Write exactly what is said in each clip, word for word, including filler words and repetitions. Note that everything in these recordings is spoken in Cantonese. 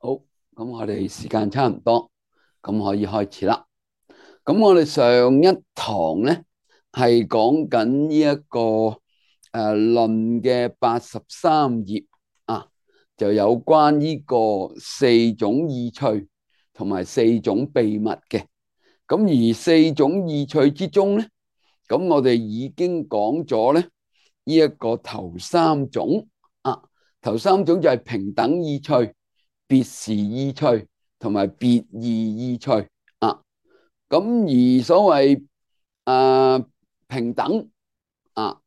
好，咁我哋時間差唔多，咁可以開始啦。咁我哋上一堂咧係講緊呢一個誒論嘅八十三頁啊，就有關呢個四種意趣同埋四種秘密嘅。咁而四種意趣之中咧，咁我哋已經講咗咧呢一個頭三種啊，頭三種就係平等意趣、別時意趣同埋別異意趣啊。咁而所謂誒平等啊，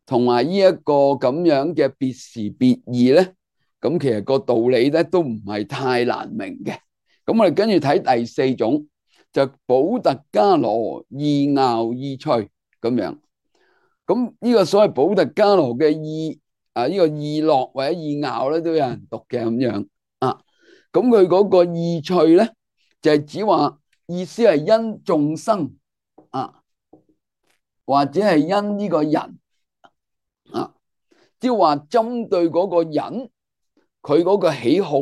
同埋呢一個咁樣嘅別時別異咧，咁其實個道理咧都唔係太難明嘅。咁我哋跟住睇第四種，就補特伽羅意樂意趣咁樣。咁呢個所謂補特伽羅嘅意啊，呢個意樂或者意樂咧，都有人讀嘅咁樣啊。咁佢嗰個意趣咧，就係指話意思係因眾生啊，或者係因呢個人啊，即係話針對嗰個人，佢嗰個喜好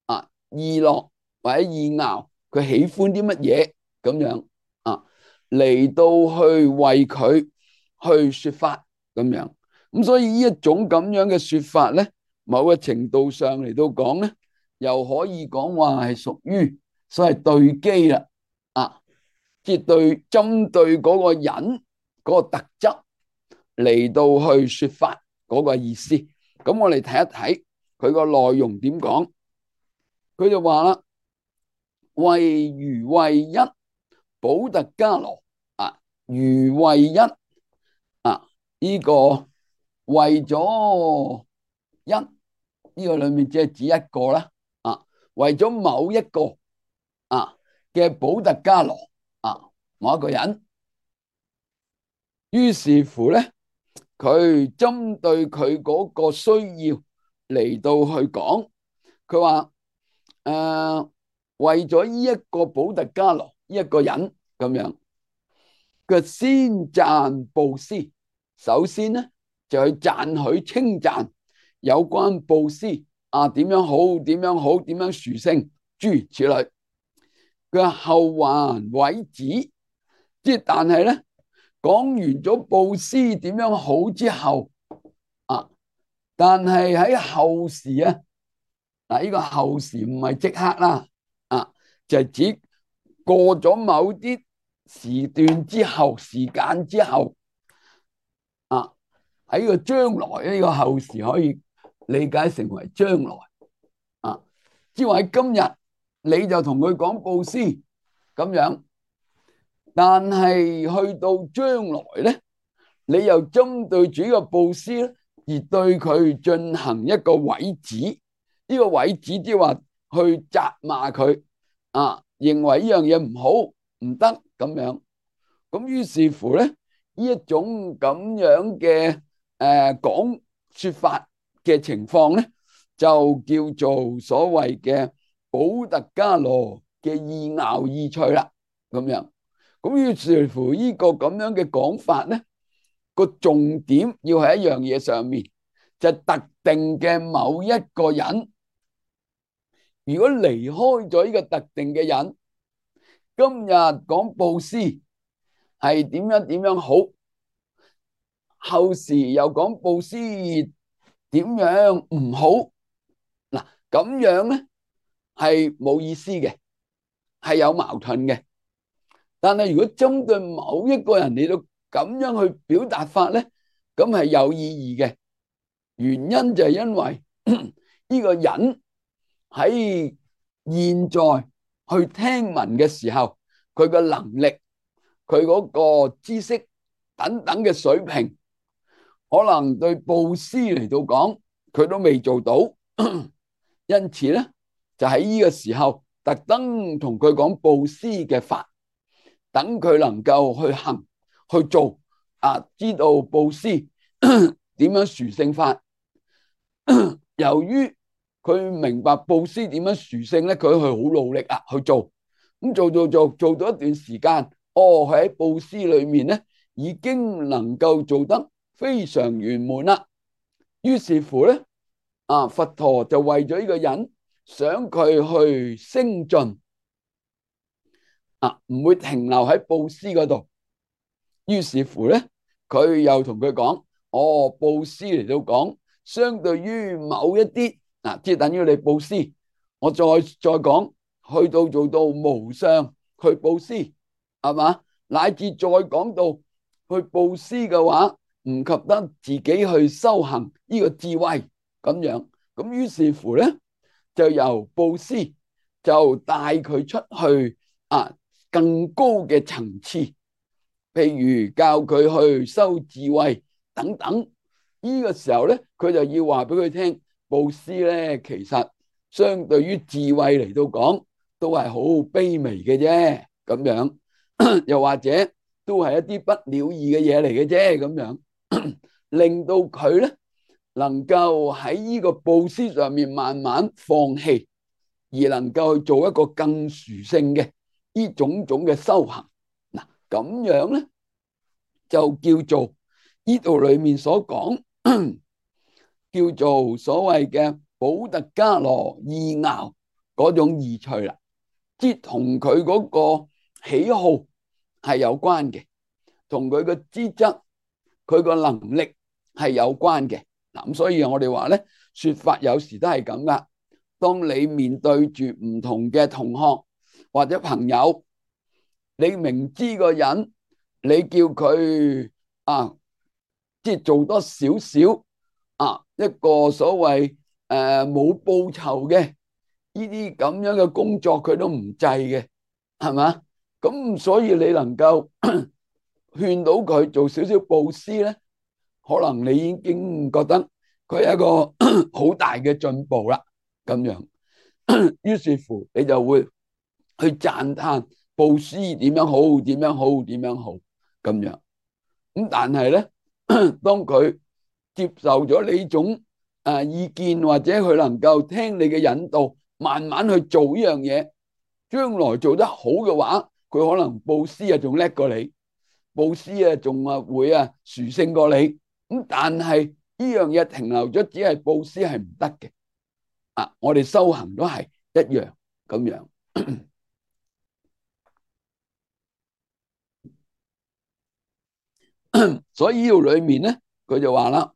啊，意樂或者意樂，佢喜歡啲乜嘢咁樣啊，嚟到去為佢去說法咁樣。咁所以呢一種咁樣嘅說法咧，某個程度上嚟到講咧，又可以講話係屬於所謂對機啦，啊，即係對針對嗰個人嗰個特質嚟到去說法嗰個意思。咁我哋睇一睇佢個內容點講。佢就話啦，為如為一補特伽羅啊，如為一啊，呢、這個為咗一呢、這個裏面只係指一個啦啊，為咗某一個啊嘅補特伽羅啊，某一個人，於是乎咧，佢針對佢嗰個需要嚟到去講，佢話誒為咗呢一個補特伽羅呢一個人咁樣，佢先讚布施，首先咧就去讚許稱讚有關布施啊，點樣好，點樣好，點樣殊勝，諸如此類。佢後還委旨，即係但係咧講完咗布施點樣好之後啊，但係喺後時啊，嗱呢個後時唔係即刻啦，啊就係指過咗某啲時段之後，時間之後啊，喺個將來呢個後時可以理解成為將來啊，即係話喺今日你就同佢講布施咁樣，但係去到將來咧，你又針對住呢個布施咧，而對佢進行一個委旨。呢個委旨即係話去責罵佢啊，認為呢樣嘢唔好唔得咁樣。咁於是乎咧，呢一種咁樣嘅誒講說法嘅情況咧，就叫做所謂嘅補特伽羅嘅意樂意趣啦。咁樣，咁於是乎呢個咁樣嘅講法咧，個重點要喺一樣嘢上面，就係特定嘅某一個人。如果離開咗呢個特定嘅人，今日講布施係點樣點樣好，後時又講布施點樣唔好，嗱咁樣咧係冇意思嘅，係有矛盾嘅。但係如果針對某一個人嚟到咁樣去表達法咧，咁係有意義嘅。原因就係因為呢個人喺現在去聽聞嘅時候，佢嘅能力、佢嗰個知識等等嘅水平，可能對布施嚟到講，佢都未做到。因此咧，就喺呢個時候特登同佢講布施嘅法，等佢能夠去行去做啊，知道布施點樣殊勝法。由於佢明白布施點樣殊勝咧，佢去好努力啊去做，咁做做做做咗一段時間，哦，佢喺布施裏面咧已經能夠做得非常圓滿啦。於是乎咧，啊佛陀就為咗呢個人想佢去升進啊，唔會停留喺布施嗰度。於是乎咧，佢又同佢講：哦，布施嚟到講，相對於某一啲嗱，即係等於你布施，我再再講，去到做到無相去布施，係嘛？乃至再講到去布施嘅話，唔及得自己去修行呢個智慧咁樣。咁於是乎咧，就由布施就帶佢出去啊，更高嘅層次。譬如教佢去修智慧等等，呢個時候咧，佢就要話俾佢聽，布施咧其實相對於智慧嚟到講，都係好卑微嘅啫，咁樣又或者都係一啲不了義嘅嘢嚟嘅啫，咁樣令到佢咧能夠喺呢個布施上面慢慢放棄，而能夠去做一個更殊勝嘅呢種種嘅修行。嗱，咁樣咧就叫做呢度裏面所講叫做所謂嘅補特伽羅意樂嗰種意趣啦，即係同佢嗰個喜好係有關嘅，同佢嘅資質、佢個能力係有關嘅。嗱，咁所以我哋話咧，說法有時都係咁噶。當你面對住唔同嘅同學或者朋友，你明知個人，你叫佢啊，即係做多少少啊，一個所謂誒冇報酬嘅呢啲咁樣嘅工作，佢都唔制嘅，係嘛？咁所以你能夠勸到佢做少少布施咧，可能你已經覺得佢係一個好大嘅進步啦。咁樣，於是乎你就會去讚嘆布施點樣好，點樣好，點樣好咁樣。咁但係咧，當佢接受咗呢種誒意見，或者佢能夠聽你嘅引導，慢慢去做呢樣嘢，將來做得好嘅話，佢可能布施啊仲叻過你，布施啊仲啊會啊殊勝過你。咁但係呢樣嘢停留咗，只係布施係唔得嘅。啊，我哋修行都係一樣咁樣。所以呢度裏面咧，佢就話啦，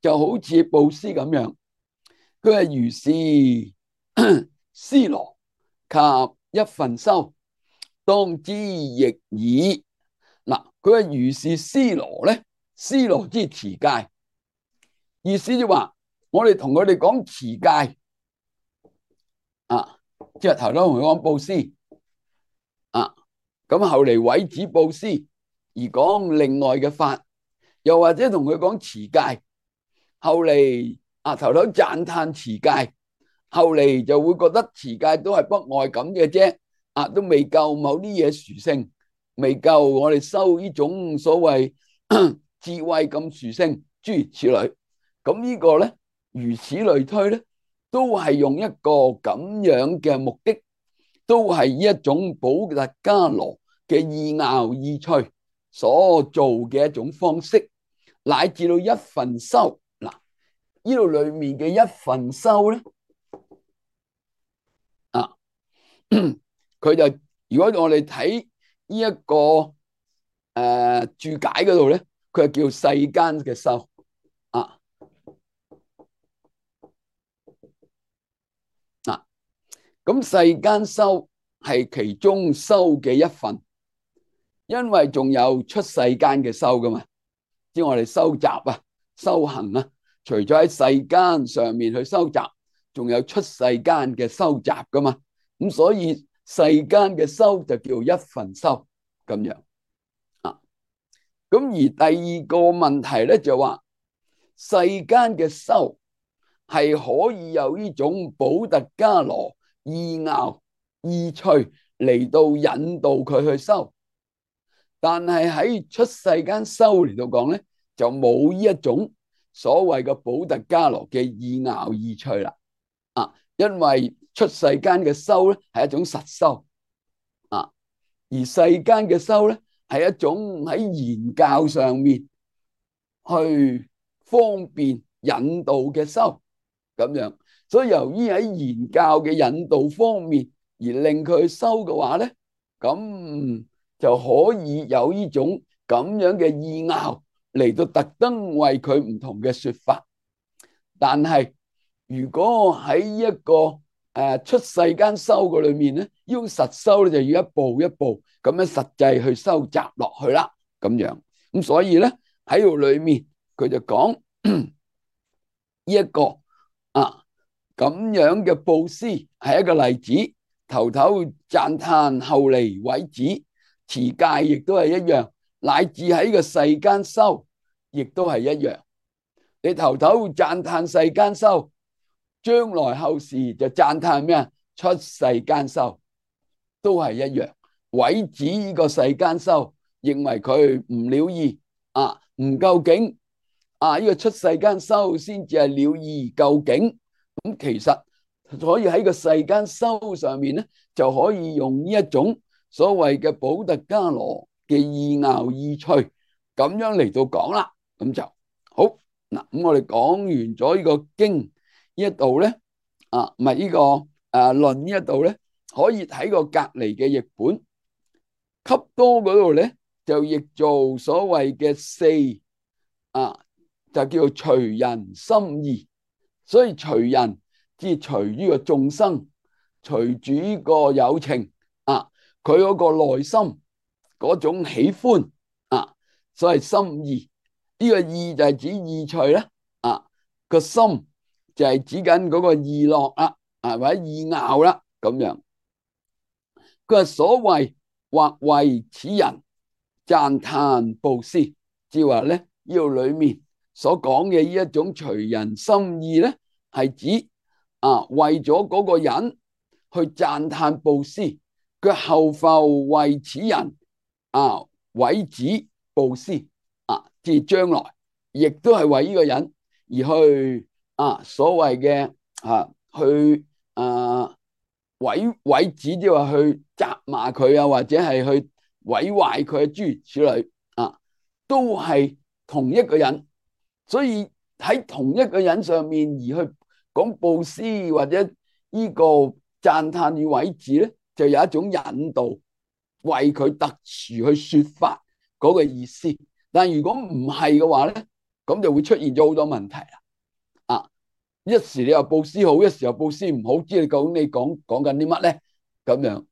就好似布施咁樣，佢係如是施羅及一分修，當知亦爾。嗱，佢係如是施羅咧，施羅之持戒，意思就話我哋同佢哋講持戒啊，即係頭先同佢講布施啊。咁後嚟毀止布施而講另外嘅法，又或者同佢講持戒，後嚟啊頭頭讚嘆持戒，後嚟就會覺得持戒都係不外咁嘅啫，啊都未夠某啲嘢殊勝，未夠我哋修呢種所謂智慧咁殊勝，諸如此類。咁呢個咧，如此類推咧，都係用一個咁樣嘅目的，都係一種補特伽羅嘅意樂意趣所做嘅一種方式，乃至到一分修。嗱，呢度裏面嘅一分修咧，啊，佢就如果我哋睇呢一個誒、呃、注解嗰度咧，佢係叫世間嘅修啊。嗱，咁世間修係其中修嘅一份。因為仲有出世間嘅修噶嘛，即係我哋收集啊、修行啊，除咗喺世間上面去收集，仲有出世間嘅收集噶嘛。咁所以世間嘅修就叫一分修咁樣啊。咁而第二個問題咧就話，世間嘅修係可以有呢種補特伽羅意樂意趣嚟到引導佢去修。但係喺出世間修嚟到講咧，就冇呢一種所謂嘅補特伽羅嘅意樂意趣啦。啊，因為出世間嘅修咧係一種實修啊，而世間嘅修咧係一種喺言教上面去方便引導嘅修咁樣。所以由於喺言教嘅引導方面而令佢收嘅話咧，咁就可以有呢種咁樣嘅意拗嚟到特登為佢唔同嘅說法。但係如果喺一個誒出世間修嘅裏面咧，呢種實修咧就要一步一步咁樣實際去收集落去啦，咁樣。咁所以咧喺度裏面佢就講呢一個啊咁樣嘅布施係一個例子，頭頭讚歎後嚟毀止，持戒亦都係一樣，乃至喺個世間修亦都係一樣。你頭頭讚歎世間修，將來後時就讚歎咩啊？出世間修都係一樣，毀止呢個世間修，認為佢唔了義啊，唔究竟啊，呢個出世間修先至係了義究竟。咁其實所以喺個世間修上面咧，就可以用呢一種所謂嘅補特伽羅嘅意拗意趣咁樣嚟到講啦。咁就好嗱。咁我哋講完咗呢個經呢一度咧，啊唔係呢個誒論呢一度咧，可以睇個隔籬嘅譯本，笈多嗰度咧就譯做所謂嘅四啊，就叫做隨人心意。所以隨人即係隨呢個眾生，隨住呢個有情啊，佢嗰個內心嗰種喜歡啊，所謂心意。呢個意就係指意趣啦，啊個心就係指緊嗰個意樂啦，啊或者意拗啦咁樣。佢話所謂或為此人讚歎布施，即係話咧呢度裏面所講嘅呢一種隨人心意咧，係指啊為咗嗰個人去讚歎布施，佢後復為此人啊毀止布施啊，即係將來亦都係為呢個人而去啊所謂嘅啊去啊毀毀止，即係話去責罵佢啊，或者係去毀壞佢嘅諸如此類啊，都係同一個人。所以喺同一個人上面而去講布施或者呢個讚歎與毀止咧，就有一種引導，為佢特殊去說法嗰個意思。但如果唔係嘅話咧，咁就會出現咗好多問題啦。啊，一時你話布施好，一時又布施唔好，知你究竟你講講緊啲乜咧？咁樣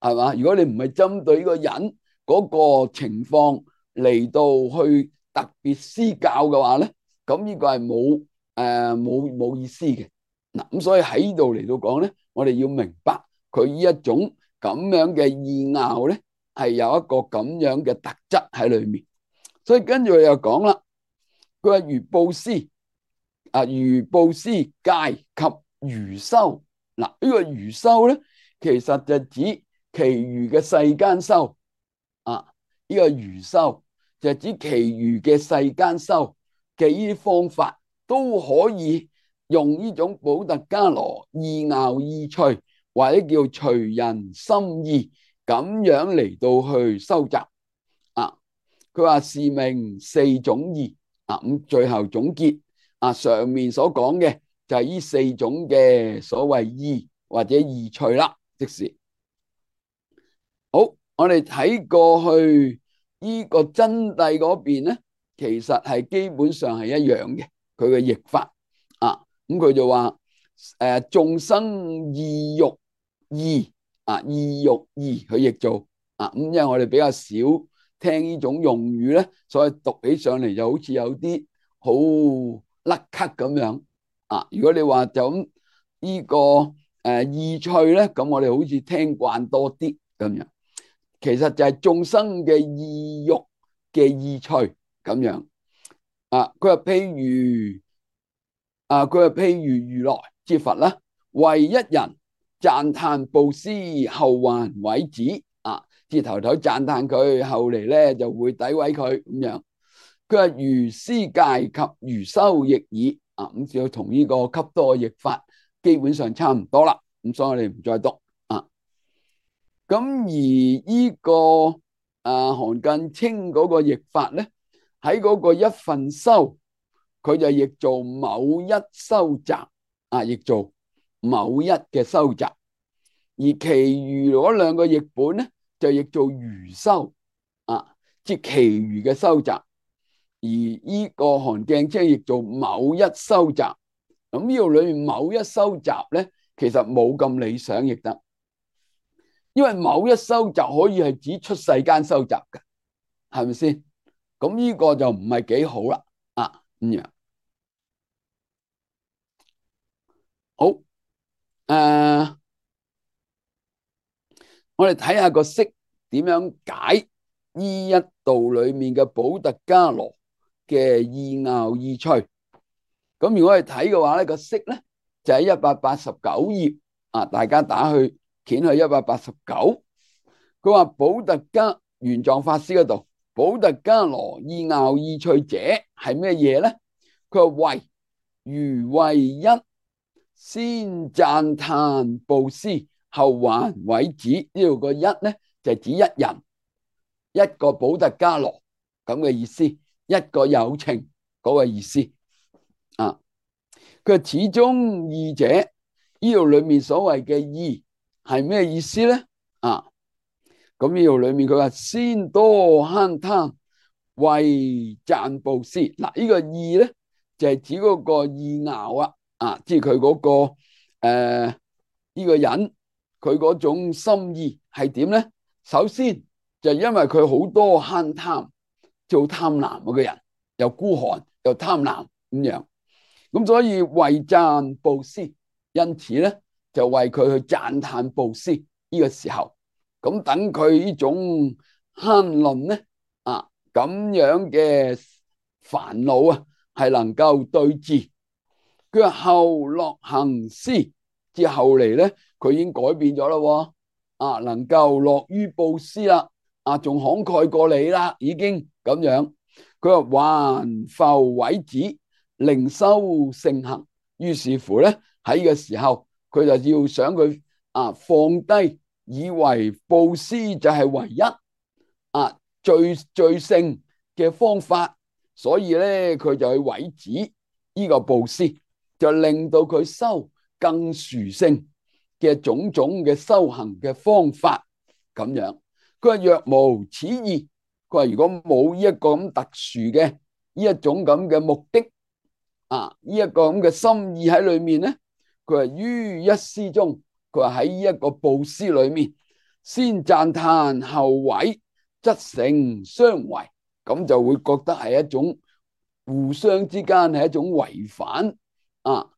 係嘛？如果你唔係針對呢個人嗰個情況嚟到去特別施教嘅話咧，咁呢個係冇誒冇冇意思嘅。嗱，咁所以喺呢度嚟到講咧，我哋要明白佢呢一種咁樣嘅意拗咧，係有一個咁樣嘅特質喺裏面。所以跟住佢又講啦，佢話如布施啊，如布施戒及餘修。嗱，呢個餘修咧，其實就指其餘嘅世間修啊。呢個餘修就指其餘嘅世間修嘅呢啲方法，都可以用呢種補特伽羅意拗意趣，或者叫隨人心意咁樣嚟到去收集啊。佢話是名四種義啊。咁最後總結啊，上面所講嘅就係呢四種嘅所謂義或者意趣啦。即是好，我哋睇過去呢個真諦嗰邊咧，其實係基本上係一樣嘅，佢嘅譯法啊。咁佢就話誒眾生意欲義啊，意欲義佢譯做啊。咁因為我哋比較少聽呢種用語咧，所以讀起上嚟就好似有啲好甩咳咁樣啊。如果你話就咁呢個誒意趣咧，咁我哋好似聽慣多啲咁樣。其實就係眾生嘅意欲嘅意趣咁樣啊。佢話譬如啊，佢話譬如如來之佛啦，為一人讚歎布施，後還毀止啊，即係頭頭讚歎佢，後嚟咧就會詆毀佢咁樣。佢話如施戒及餘修亦爾啊，咁就同呢個笈多嘅譯法基本上差唔多啦。咁所以我哋唔再讀啊。咁而呢個啊韓近清嗰個譯法咧，喺嗰個一分修，佢就譯做某一修集啊，譯做某一嘅收集，而其餘嗰兩個譯本咧就譯做餘收啊，即係其餘嘅收集。而呢個韓鏡車譯做某一收集。咁呢度裏面某一收集咧，其實冇咁理想譯得，因為某一收集可以係指出世間收集嘅，係咪先？咁呢個就唔係幾好啦。啊，咁樣好。誒、呃，我哋睇下個釋點樣解呢一度裏面嘅補特伽羅嘅意拗意趣。咁如果係睇嘅話咧，個釋咧就喺一百八十九頁啊，大家打去掀去一百八十九。佢話補特伽玄奘法師嗰度，補特伽羅意拗意趣者係咩嘢咧？佢話為如為一，先讚歎布施，後還委子。呢度個一咧就係指一人，一個補特伽羅咁嘅意思，一個有情嗰個意思啊。佢始終義者，呢度裏面所謂嘅義係咩意思咧？啊，咁呢度裏面佢話先多慳貪，為讚布施。嗱，呢個義咧就係指嗰個意拗啊，啊，即係佢嗰個誒呢、呃這個人佢嗰種心意係點咧？首先就因為佢好多慳貪，做貪婪嗰個人，又孤寒又貪婪咁樣。咁所以為讚布施，因此咧就為佢去讚歎布施呢個時候，咁等佢呢種慳吝咧啊咁樣嘅煩惱啊係能夠對治。佢話後樂行施，之後嚟咧佢已經改變咗啦，啊能夠樂於布施啦，啊仲慷慨過你啦，已經咁樣。佢話還復委子，令修聖行。於是乎咧喺呢個時候，佢就要想佢啊放低，以為布施就係唯一啊最最聖嘅方法，所以咧佢就去委子呢個布施，就令到佢修更殊勝嘅種種嘅修行嘅方法咁樣。佢話若無此意，佢話如果冇呢一個咁特殊嘅呢一種咁嘅目的啊，呢一個咁嘅心意喺裏面咧，佢話於一施中，佢話喺呢一個布施裏面，先讚歎後委，則成相違，咁就會覺得係一種互相之間係一種違反啊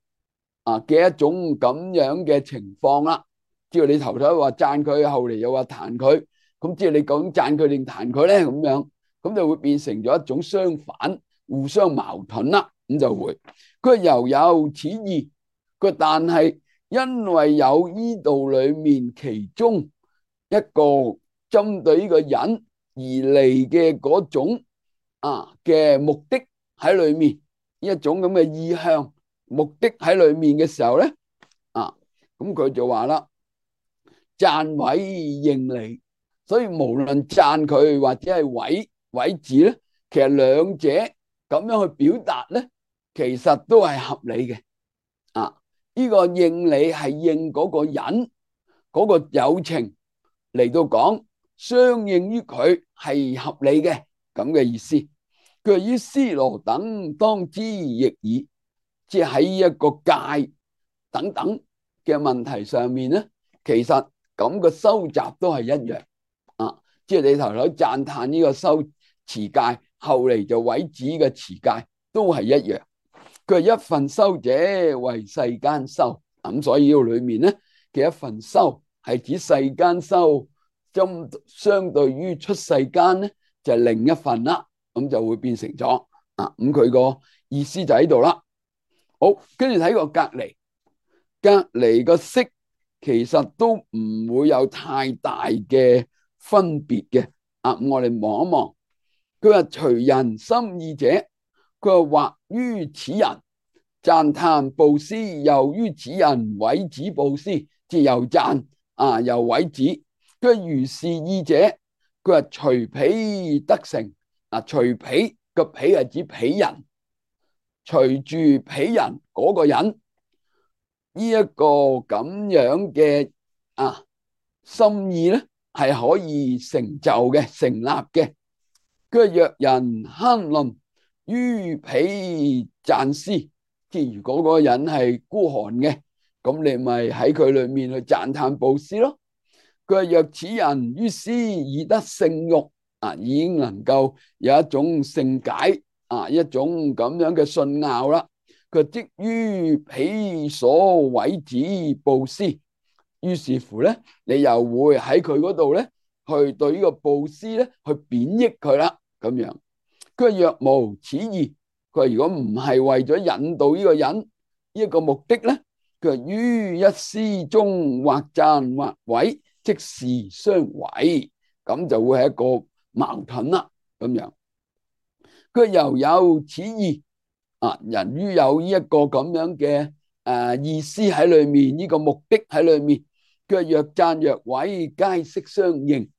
啊嘅一種咁樣嘅情況啦。只要你頭頭話讚佢，後嚟又話彈佢，咁即係你究竟讚佢定彈佢咧？咁樣咁就會變成咗一種相反、互相矛盾啦。咁就會佢又有此意，佢但係因為有呢度裏面其中一個針對呢個人而嚟嘅嗰種啊嘅目的喺裏面，一種咁嘅意向目的喺裏面嘅時候咧，啊咁佢就話啦，讚委應理，所以無論讚佢或者係委委子咧，其實兩者咁樣去表達咧，其實都係合理嘅。啊，呢個應理係應嗰個人嗰個有情嚟到講，相應於佢係合理嘅咁嘅意思。佢話於尸羅等當知亦爾，即係喺一個戒等等嘅問題上面咧，其實咁個收集都係一樣啊。即係你頭頭讚歎呢個收持戒，後嚟就委子嘅持戒都係一樣。佢係一份修者為世間修，咁所以呢個裏面咧嘅一份修係指世間修，針相對於出世間咧就係另一份啦，咁就會變成咗啊。咁佢個意思就喺度啦。好，跟住睇個隔離，隔離個釋其實都唔會有太大嘅分別嘅啊。咁我哋望一望，佢話隨人心意者，佢話或於此人讚歎布施，又於此人委子布施，即又讚啊又委子。佢如是意者，佢話隨彼得成啊，隨彼個彼係指彼人，隨住彼人嗰個人呢一個咁樣嘅啊心意咧，係可以成就嘅、成立嘅。佢話若人慳吝於彼贊施，即係如果嗰個人係孤寒嘅，咁你咪喺佢裏面去讚歎布施咯。佢話若此人於施已得聖欲，啊，已經能夠有一種聖解，啊，一種咁樣嘅信拗啦。佢即於彼所毀止布施，於是乎咧，你又會喺佢嗰度咧，去對呢個布施咧，去貶抑佢啦，咁樣。佢話若無此意，佢話如果唔係為咗引導呢個人呢一個目的咧，佢話於一施中或讚或毀，即是相違，咁就會係一個矛盾啦，咁樣。佢又有此意，啊，人於有呢一個咁樣嘅誒意思喺裏面，呢個目的喺裏面，佢話若讚若毀，皆悉相應，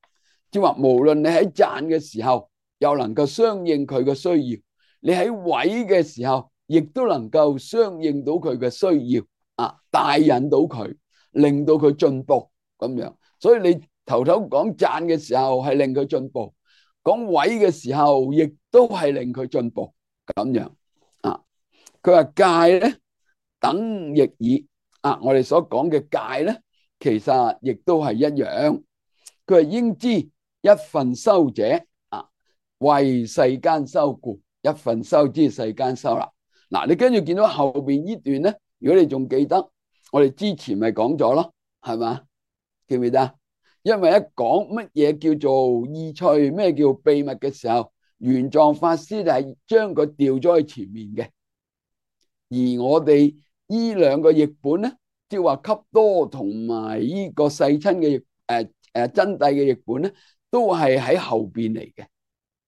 即係話無論你喺讚嘅時候，又能夠相應佢嘅需要，你喺毀嘅時候，亦都能夠相應到佢嘅需要，啊，帶引到佢，令到佢進步咁樣。所以你頭頭講讚嘅時候係令佢進步，講毀嘅時候亦都係令佢進步咁樣啊。佢話戒咧等亦爾啊，我哋所講嘅戒咧，其實亦都係一樣。佢話應知一分修者啊，為世間修故，一分修之世間修啦。嗱，你跟住見到後邊呢段咧，如果你仲記得，我哋之前咪講咗咯，係嘛？記唔記得？因為一講乜嘢叫做意趣，咩叫秘密嘅時候，玄奘法師就係將佢調咗去前面嘅。而我哋呢兩個譯本咧，即係話笈多同埋呢個世親嘅誒誒真諦嘅譯本咧，都係喺後邊嚟嘅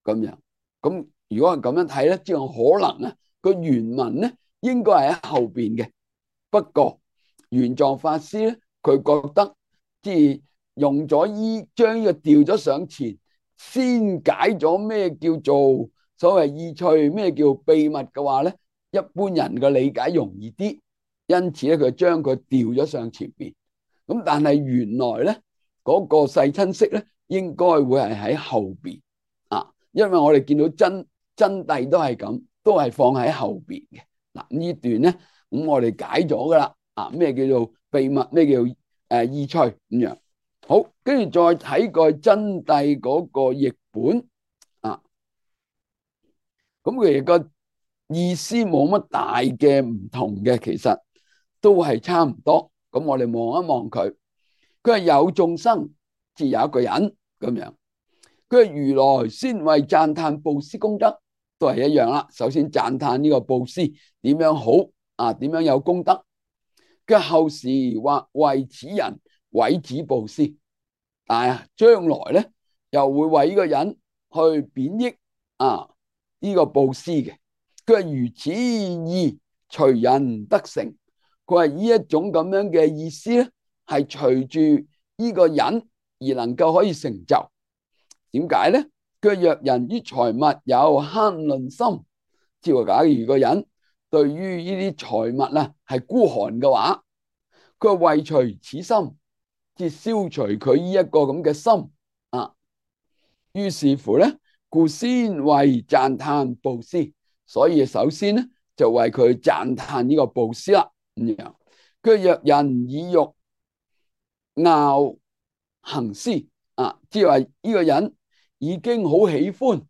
咁樣。咁如果係咁樣睇咧，即係可能啊個原文咧應該係喺後邊嘅。不過玄奘法師咧，佢覺得即係用咗依將呢個調咗上前，先解咗咩叫做所謂意趣，咩叫秘密嘅話咧，一般人嘅理解容易啲，因此咧佢將佢調咗上前邊。咁但係原來咧嗰個世親釋咧，應該會係喺後邊啊，因為我哋見到真真諦都係咁，都係放喺後邊嘅。嗱，呢段咧，咁我哋解咗噶啦。啊，咩叫做秘密？咩叫誒意趣咁樣？好，跟住再睇個真諦嗰個譯本啊，咁佢個意思冇乜大嘅唔同嘅，其實都係差唔多。咁我哋望一望佢，佢係有眾生，即有一個人咁樣。佢係如來先為讚歎布施功德，都係一樣啦。首先讚歎呢個布施點樣好啊？點樣有功德？嘅後時或為此人毀止布施，但係將來咧又會為呢個人去貶抑啊呢個布施嘅。佢話如此意隨人得成，佢話呢一種咁樣嘅意思咧，係隨住呢個人而能夠可以成就。點解咧？佢話若人於財物有慳吝心，即係話假如個人對於呢啲財物啊係孤寒嘅話，佢話為除此心，即係消除佢呢一個咁嘅心啊。於是乎咧，故先為讚歎布施，所以首先咧就為佢讚歎呢個布施啦。咁樣，佢若人以欲樂行施啊，即係話呢個人已經好喜歡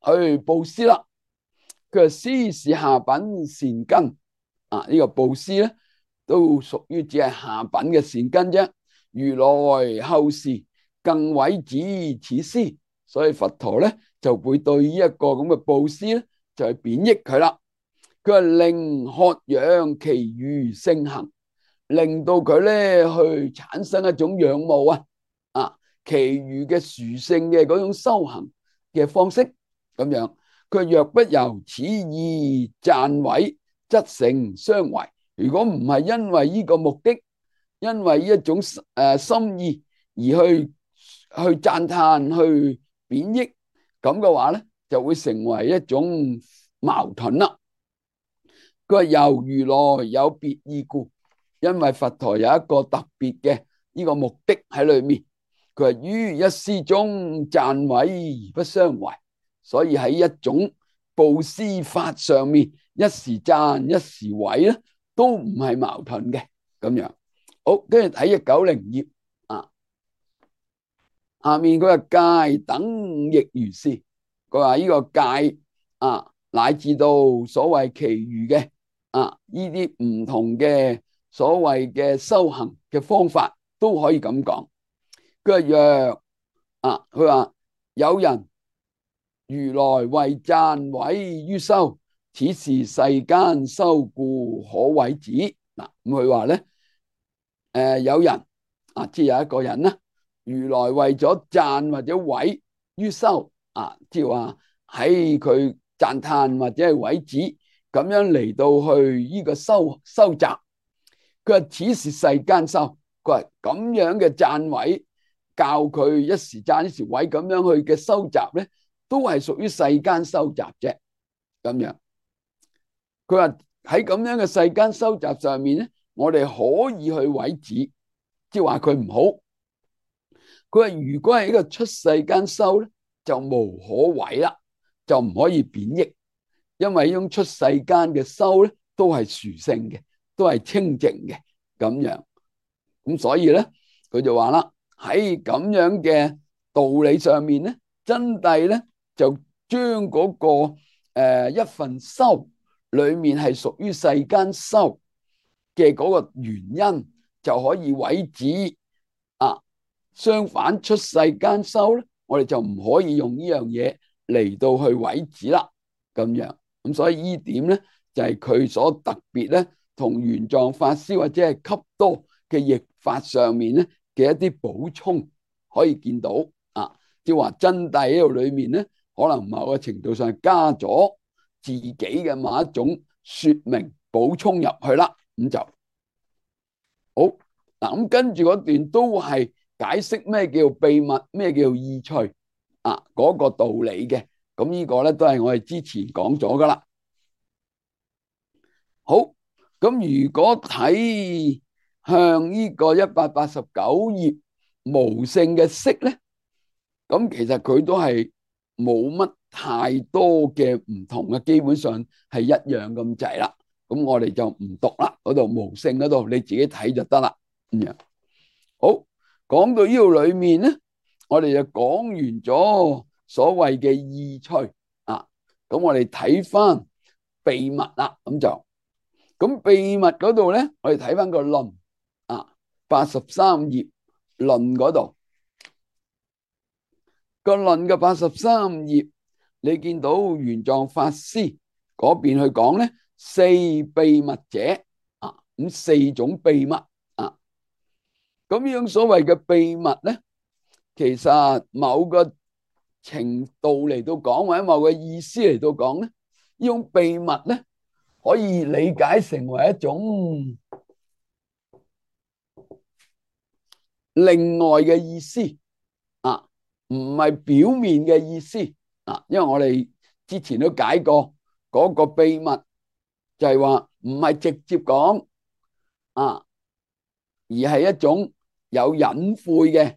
去布施啦。佢話施是下品善根啊，呢個布施咧都屬於只係下品嘅善根啫。如來後時更毀止此施，所以佛陀咧就會對呢一個咁嘅布施咧就係貶抑佢啦。佢話令渴仰其餘聖行，令到佢咧去產生一種仰慕啊啊，其餘嘅殊勝嘅嗰種修行嘅方式咁樣。佢若不由此意讚毀，則成相違。如果唔係因為呢個目的，因為一種誒、呃、心意而去去讚歎、去貶抑咁嘅話咧，就會成為一種矛盾啦。佢話由如來有別意故，因為佛陀有一個特別嘅呢個目的喺裏面，佢係於一施中讚毀而不相違，所以喺一種布施法上面，一時讚一時毀咧，都唔係矛盾嘅咁樣。好，跟住睇一九零頁啊，下面佢話戒等亦如是，佢話呢個戒啊，乃至到所謂其餘嘅啊呢啲唔同嘅所謂嘅修行嘅方法都可以咁講。佢話若啊，佢話有人如來為讚毀於修，此是世間修故可毀止。嗱，咁佢話咧，誒有人啊，即係有一個人啦，如來為咗讚或者毀於修啊，即係話喺佢讚歎或者係毀止咁樣嚟到去呢個修修習。佢話此是世間修，佢話咁樣嘅讚毀教佢一時讚一時毀咁樣去嘅修習咧，都係屬於世間修習啫。咁樣，佢話喺咁樣嘅世間修習上面咧，我哋可以去毀止，即係話佢唔好。佢話如果係呢個出世間修咧，就無可毀啦，就唔可以貶抑，因為呢種出世間嘅修咧，都係殊勝嘅，都係清淨嘅咁樣。咁所以咧，佢就話啦，喺咁樣嘅道理上面咧，真諦咧就將嗰個誒一份修裏面係屬於世間修嘅嗰個原因，就可以毀止啊。相反出世間修咧，我哋就唔可以用呢樣嘢嚟到去毀止啦。咁樣，咁所以呢點咧就係佢所特別咧，同玄奘法師或者係笈多嘅譯法上面咧嘅一啲補充，可以見到啊，即係話真諦喺度裏面咧，可能某個程度上加咗自己嘅某一種說明補充入去啦。咁就好嗱，咁跟住嗰段都係解釋咩叫秘密，咩叫意趣啊，嗰個道理嘅。咁呢個咧都係我哋之前講咗噶啦。好，咁如果睇向呢個一百八十九頁無性嘅色咧，咁其實佢都係冇乜太多嘅唔同嘅，基本上係一樣咁滯啦。咁我哋就唔讀啦，嗰度無性嗰度你自己睇就得啦。咁樣好，講到呢度裏面咧，我哋就講完咗所謂嘅意趣啊。咁我哋睇翻秘密啦，咁就咁秘密嗰度咧，我哋睇翻個論啊，八十三頁論嗰度個論嘅八十三頁，你見到玄奘法師嗰邊去講咧，四秘密者啊，咁四種秘密啊。咁呢種所謂嘅秘密咧，其實某個程度嚟到講，或者某個意思嚟到講咧，呢種秘密咧可以理解成為一種另外嘅意思啊，唔係表面嘅意思啊。因為我哋之前都解過嗰個秘密就係話唔係直接講啊，而係一種有隱晦嘅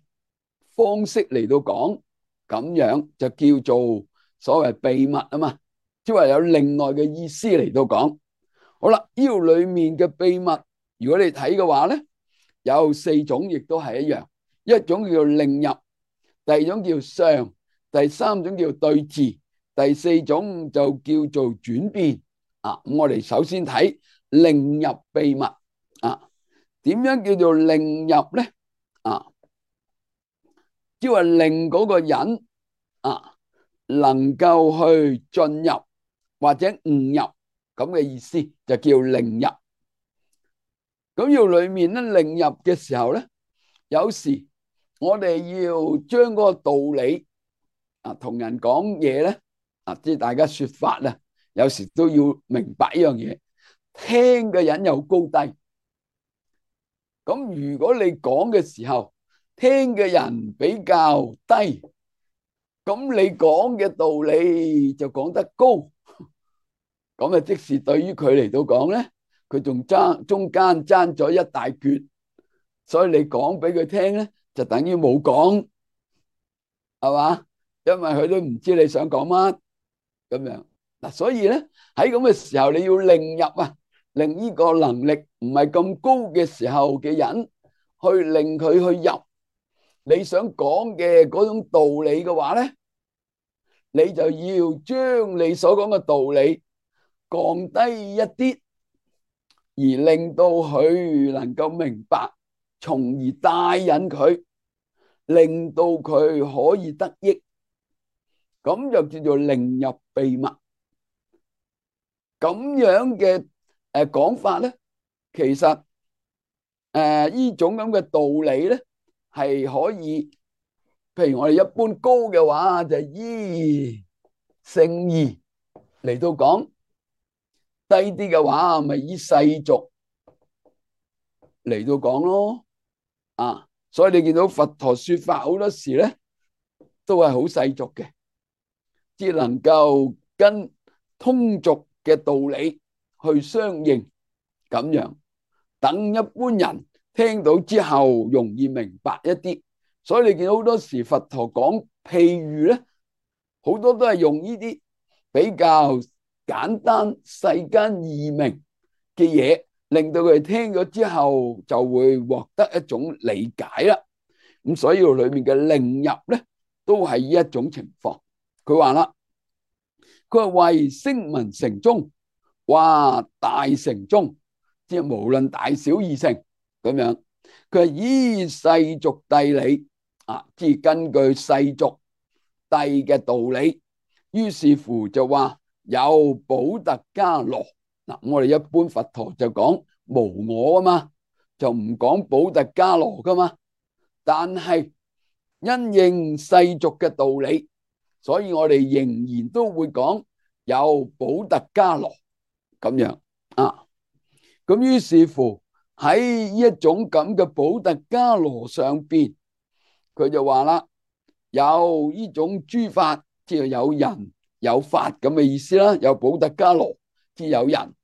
方式嚟到講，咁樣就叫做所謂秘密啊嘛，即係話有另外嘅意思嚟到講。好啦，呢度裏面嘅秘密，如果你睇嘅話咧，有四種，亦都係一樣。一種叫令入，第二種叫相，第三種叫對治，第四種就叫做轉變啊。咁我哋首先睇令入秘密啊，點樣叫做令入咧？啊，即係話令嗰個人啊能夠去進入或者悟入咁嘅意思，就叫令入。咁要裏面咧令入嘅時候咧，有時我哋要將嗰個道理啊同人講嘢咧啊，即係大家說法啊，有時都要明白一樣嘢，聽嘅人有高低。咁如果你講嘅時候，聽嘅人比較低，咁你講嘅道理就講得高，咁啊即使對於佢嚟到講咧，佢仲爭中間爭咗一大橛，所以你講俾佢聽咧，就等於冇講，係嘛？因為佢都唔知你想講乜咁樣嗱，所以咧喺咁嘅時候，你要令入啊，令呢個能力唔係咁高嘅時候嘅人，去令佢去入你想講嘅嗰種道理嘅話咧，你就要將你所講嘅道理降低一啲，而令到佢能夠明白，從而帶引佢，令到佢可以得益，咁就叫做令入秘密。咁樣嘅誒講法咧，其實誒呢種咁嘅道理咧，係可以，譬如我哋一般高嘅話，就依聖義嚟到講；低啲嘅話，咪依世俗嚟到講咯。啊，所以你見到佛陀說法好多時咧，都係好世俗嘅，只能夠跟通俗嘅道理去相應，咁樣等一般人聽到之後容易明白一啲。所以你見到好多時佛陀講譬喻咧，好多都係用呢啲比較簡單世間易明嘅嘢，令到佢哋聽咗之後就會獲得一種理解啦。咁所以裏面嘅令入咧，都係呢一種情況。佢話啦，佢話為聲聞乘中，話大乘中，即係無論大小二乘咁樣。佢係依世俗諦理啊，即係根據世俗諦嘅道理，於是乎就話有補特伽羅嗱。我哋一般佛陀就講無我啊嘛，就唔講補特伽羅噶嘛。但係因應世俗嘅道理，所以我哋仍然都會講有補特伽羅咁樣啊。咁於是乎喺呢一種咁嘅補特伽羅上邊，佢就話啦，有呢種諸法，即係有人有法咁嘅意思啦。有補特伽羅，即係有人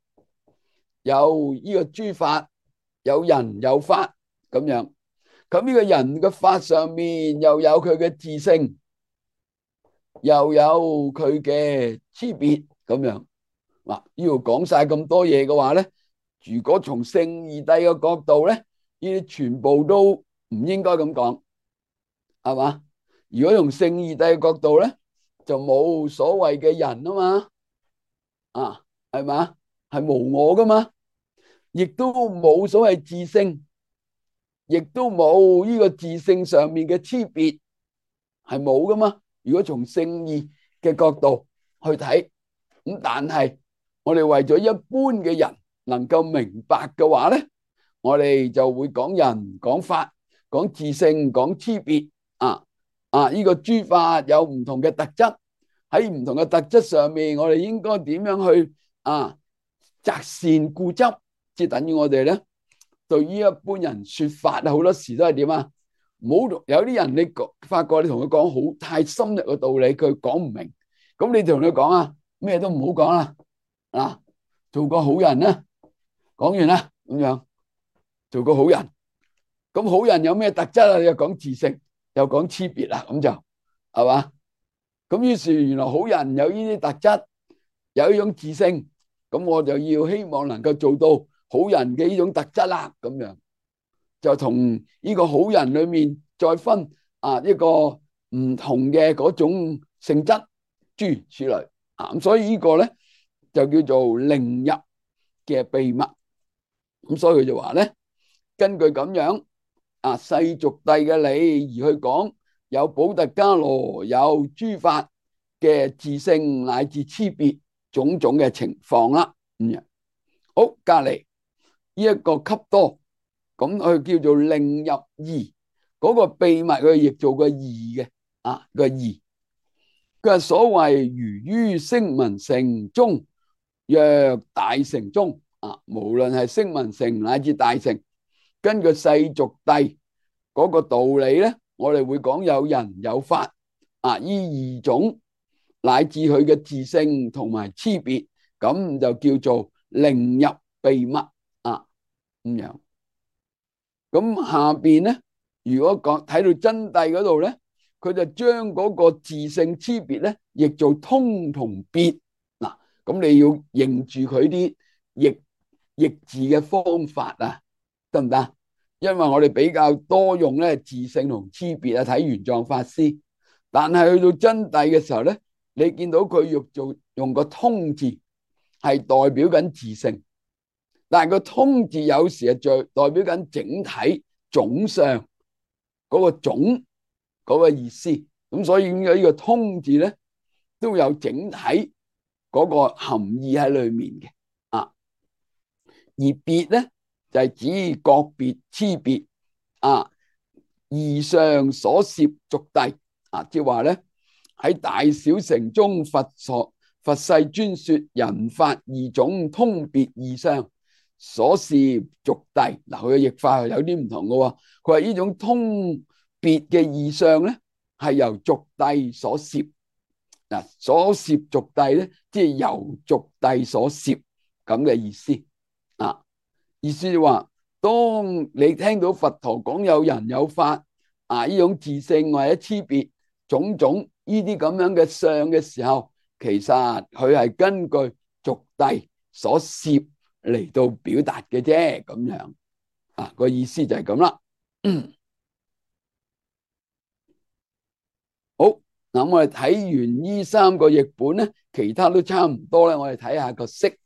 有呢個諸法，有人有法咁樣。咁呢個人嘅法上面又有佢嘅自性，又有佢嘅差別咁樣。嗱，呢度講晒咁多嘢嘅話咧，如果從聖義諦嘅角度咧，呢啲全部都唔應該咁講，係嘛？如果從聖義諦嘅角度咧，就冇所謂嘅人啊嘛，啊，係嘛？係無我噶嘛，亦都冇所謂自性，亦都冇呢個自性上面嘅差別，係冇噶嘛。如果從聖義嘅角度去睇，咁但係我哋為咗一般嘅人能夠明白嘅話咧，我哋就會講人、講法、講自性、講差別啊啊！呢個諸法有唔同嘅特質，喺唔同嘅特質上面，我哋應該點樣去啊擇善固執，即係等於我哋咧。對於一般人說法啊，好多時都係點啊？唔好，有啲人你發覺你同佢講好太深入嘅道理，佢講唔明，咁你同佢講啊，咩都唔好講啦，啊，做個好人啦，講完啦，咁樣做個好人。咁好人有咩特質啊？你又講自性，又講差別啦，咁就係嘛？咁於是原來好人有呢啲特質，有呢種自性，咁我就要希望能夠做到好人嘅呢種特質啦，咁樣就同呢個好人裏面再分啊一個唔同嘅嗰種性質，諸如此類啊。咁所以呢個咧就叫做令入嘅秘密。咁所以佢就話咧，根據咁樣啊世俗諦嘅理而去講，有補特伽羅，有諸法嘅自性乃至差別種種嘅情況啦。咁樣好，隔籬呢一個笈多，咁佢叫做令入義，嗰個秘密佢亦做個義嘅啊個義。佢係所謂如於聲聞乘中，若大乘中啊，無論係聲聞乘乃至大乘，根據世俗諦嗰個道理咧，我哋會講有人有法啊，依二種乃至佢嘅自性同埋差別，咁就叫做令入秘密咁樣。咁下邊咧，如果講睇到真諦嗰度咧，佢就將嗰個自性差別咧，譯做通同別。嗱，咁你要認住佢啲譯譯字嘅方法啊，得唔得？因為我哋比較多用咧自性同差別啊，睇玄奘法師。但係去到真諦嘅時候咧，你見到佢用做用個通字，係代表緊自性。但係個通字有時係在代表緊整體總相嗰個總嗰個意思，咁所以呢個通字咧都有整體嗰個含義喺裏面嘅啊。而別咧就係指各別差別啊，義上所攝俗諦啊，即係話咧喺大小乘中佛所佛世專說人法二種通別義相所攝俗諦。嗱，佢嘅譯法有啲唔同嘅。佢話呢種通別嘅義相咧係由俗諦所攝。嗱，所攝俗諦咧即係由俗諦所攝咁嘅意思啊。意思就話，當你聽到佛陀講有人有法啊，呢種自性或者差別種種呢啲咁樣嘅相嘅時候，其實佢係根據俗諦所攝嚟到表達嘅啫，咁樣啊，個意思就係咁啦。好，嗱，我哋睇完呢三個譯本咧，其他都差唔多咧。我哋睇下個釋，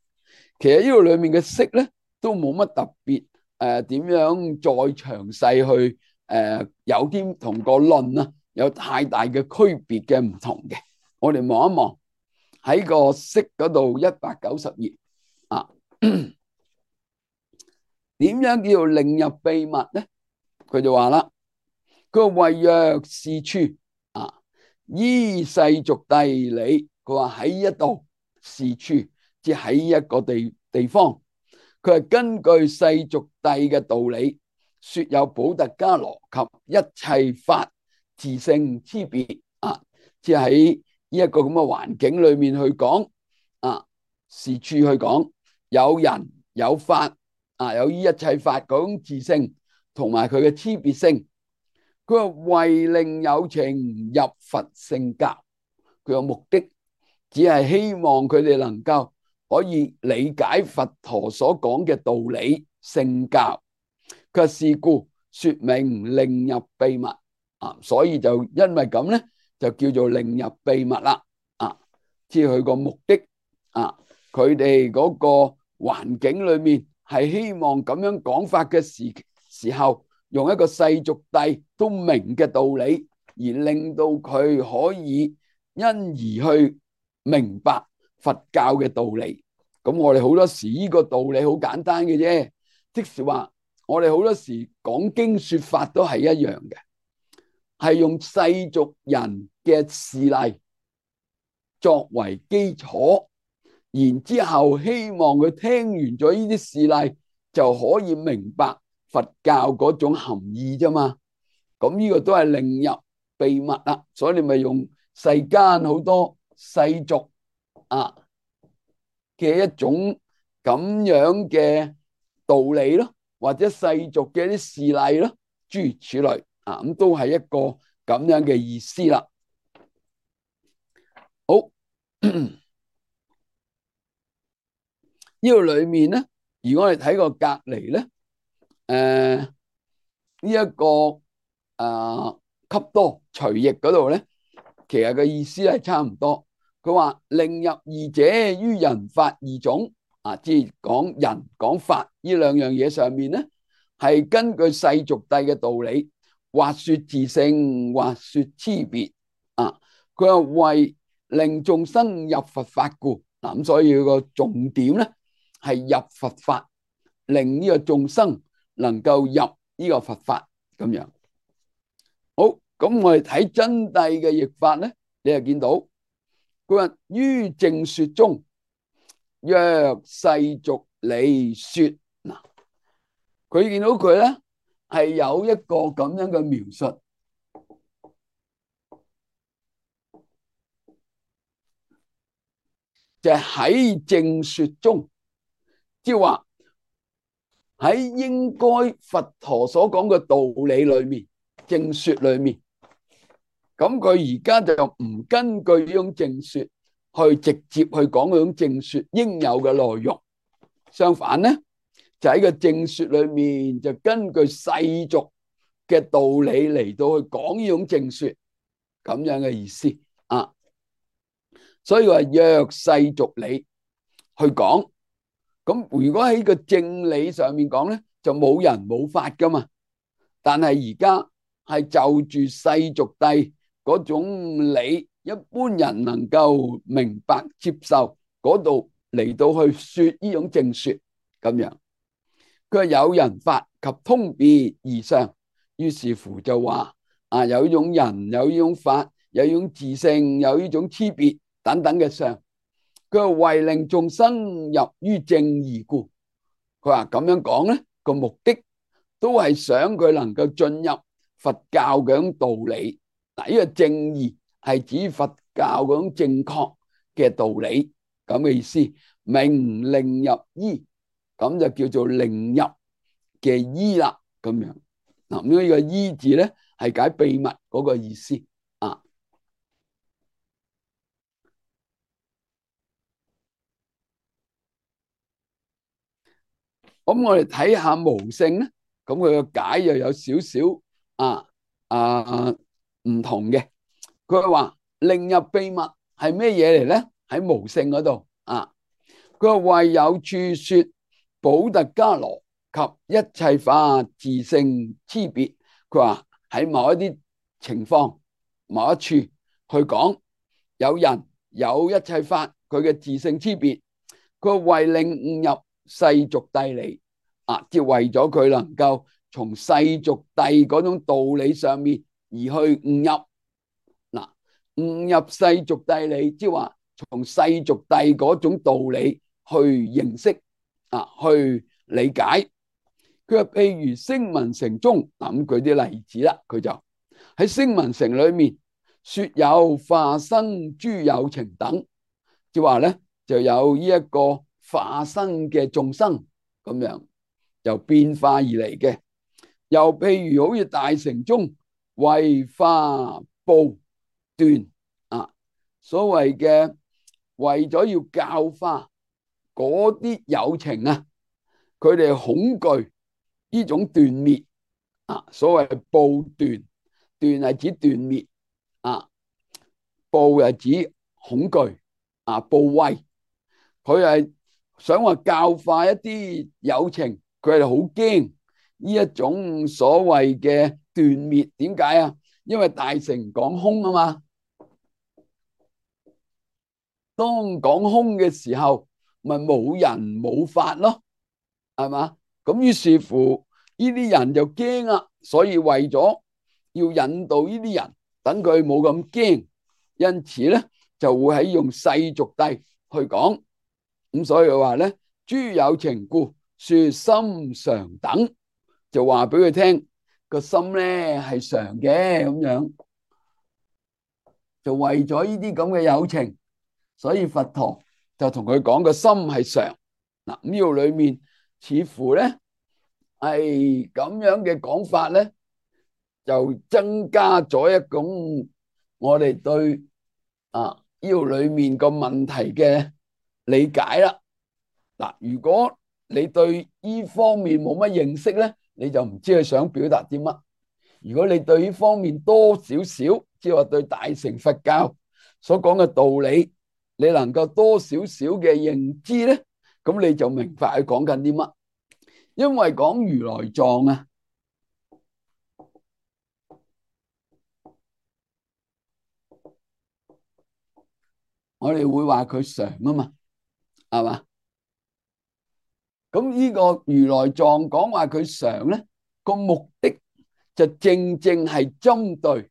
其實呢度裏面嘅釋咧都冇乜特別誒，點樣再詳細去誒，有啲同個論啊有太大嘅區別嘅唔同嘅。我哋望一望喺個釋嗰度一百九十頁啊，點樣叫做令入秘密咧？佢就話啦，佢話謂若是處啊，依世俗諦理，佢話喺一度是處，即係喺一個地地方，佢係根據世俗諦嘅道理，說有補特伽羅及一切法自性差別啊，即係喺呢一個咁嘅環境裏面去講啊，是處去講有人有法啊，有依一切法嗰種自性同埋佢嘅差別性。佢話為令有情入佛聖教，佢個目的只係希望佢哋能夠可以理解佛陀所講嘅道理聖教。佢是故說明令入秘密啊，所以就因為咁咧，就叫做令入秘密啦啊，即係佢個目的啊，佢哋嗰個環境裏面係希望咁樣講法嘅時時候，用一個世俗諦都明嘅道理，而令到佢可以因而去明白佛教嘅道理。咁我哋好多時呢個道理好簡單嘅啫，即是話我哋好多時講經說法都係一樣嘅，係用世俗人嘅事例作為基礎，然之後希望佢聽完咗呢啲事例就可以明白佛教嗰種含義啫嘛。咁呢個都係令入秘密啦，所以你咪用世間好多世俗啊嘅一種咁樣嘅道理咯，或者世俗嘅一啲事例咯，諸如此類啊，咁都係一個咁樣嘅意思啦。好，呢個裏面咧，如果我哋睇個隔離咧，誒呢一個誒笈多隨譯嗰度咧，其實個意思係差唔多。佢話令入二者於人法二種啊，即係講人講法呢兩樣嘢上面咧，係根據世俗諦嘅道理，或說自性，或說差別啊。佢話為令眾生入佛法故，嗱咁所以佢個重點咧係入佛法，令呢個眾生能夠入呢個佛法咁樣。好，咁我哋睇真諦嘅譯法咧，你就見到佢話於正說中，若世俗理說，嗱，佢見到佢咧係有一個咁樣嘅描述，就係喺正說中，即係話喺應該佛陀所講嘅道理裏面、正說裏面，咁佢而家就唔根據呢種正說去直接去講嗰種正說應有嘅內容，相反咧就喺個正說裏面就根據世俗嘅道理嚟到去講呢種正說，咁樣嘅意思啊。所以話若世俗理去講，咁如果喺個正理上面講咧，就冇人冇法噶嘛。但係而家係就住世俗諦嗰種理，一般人能夠明白接受嗰度嚟到去說呢種正說咁樣。佢話有人法及通別而相，於是乎就話啊，有呢種人，有呢種法，有呢種自性，有呢種差別等等嘅相。佢話為令眾生入於正義故，佢話咁樣講咧個目的都係想佢能夠進入佛教嘅種道理。嗱，呢個正義係指佛教嗰種正確嘅道理咁嘅意思。名令入依，咁就叫做令入嘅依啦咁樣。嗱，咁呢個依字咧係解秘密嗰個意思啊。咁我哋睇下無性咧，咁佢個解又有少少啊啊唔同嘅。佢話令入秘密係咩嘢嚟咧？喺無性嗰度啊，佢話為有處說補特伽羅及一切法自性差別。佢話喺某一啲情況、某一處去講，有人有一切法佢嘅自性差別，佢為令悟入世俗諦理啊，即係為咗佢能夠從世俗諦嗰種道理上面而去悟入。嗱，悟入世俗諦理，即係話從世俗諦嗰種道理去認識啊，去理解。佢話譬如聲聞乘中，嗱，咁舉啲例子啦，佢就喺聲聞乘裏面說有化生諸有情等，即係話咧就有呢一個化生嘅眾生咁樣由變化而嚟嘅。又譬如好似大乘中為化報斷啊，所謂嘅為咗要教化嗰啲有情啊，佢哋恐懼呢種斷滅啊，所謂報斷，斷係指斷滅啊，報係指恐懼啊，怖畏。佢係想話教化一啲有情，佢係好驚呢一種所謂嘅斷滅。點解啊？因為大乘講空啊嘛，當講空嘅時候，咪冇人冇法咯，係嘛？咁於是乎呢啲人就驚啦，所以為咗要引導呢啲人，等佢冇咁驚，因此咧就會喺用世俗諦去講。咁所以話咧，諸有情故說心常等，就話俾佢聽個心咧係常嘅咁樣，就為咗呢啲咁嘅有情，所以佛陀就同佢講個心係常。嗱，咁呢度裏面似乎咧係咁樣嘅講法咧，就增加咗一種我哋對啊呢度裏面個問題嘅理解啦。嗱，如果你對呢方面冇乜認識咧，你就唔知佢想表達啲乜。如果你對呢方面多少少，即係話對大乘佛教所講嘅道理，你能夠多少少嘅認知咧，咁你就明白佢講緊啲乜。因為講如來藏啊，我哋會話佢常啊嘛，係嘛？咁呢個如來藏講話佢常咧，個目的就正正係針對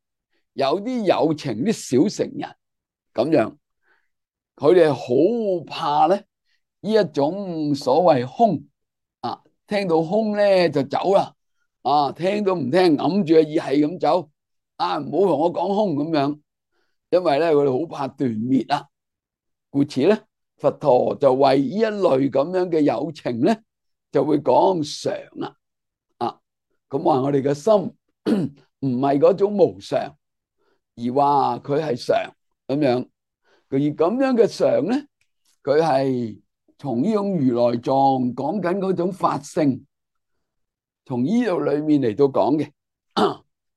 有啲有情啲小乘人咁樣，佢哋好怕咧呢一種所謂空啊，聽到空咧就走啦，啊，聽都唔聽，揞住個耳係咁走，啊，唔好同我講空咁樣，因為咧佢哋好怕斷滅啊，故此咧佛陀就為呢一類咁樣嘅有情咧，就會講常啦。啊，咁話我哋嘅心唔係嗰種無常，而話佢係常咁樣。而咁樣嘅常咧，佢係從呢種如來藏講緊嗰種法性，從呢度裏面嚟到講嘅。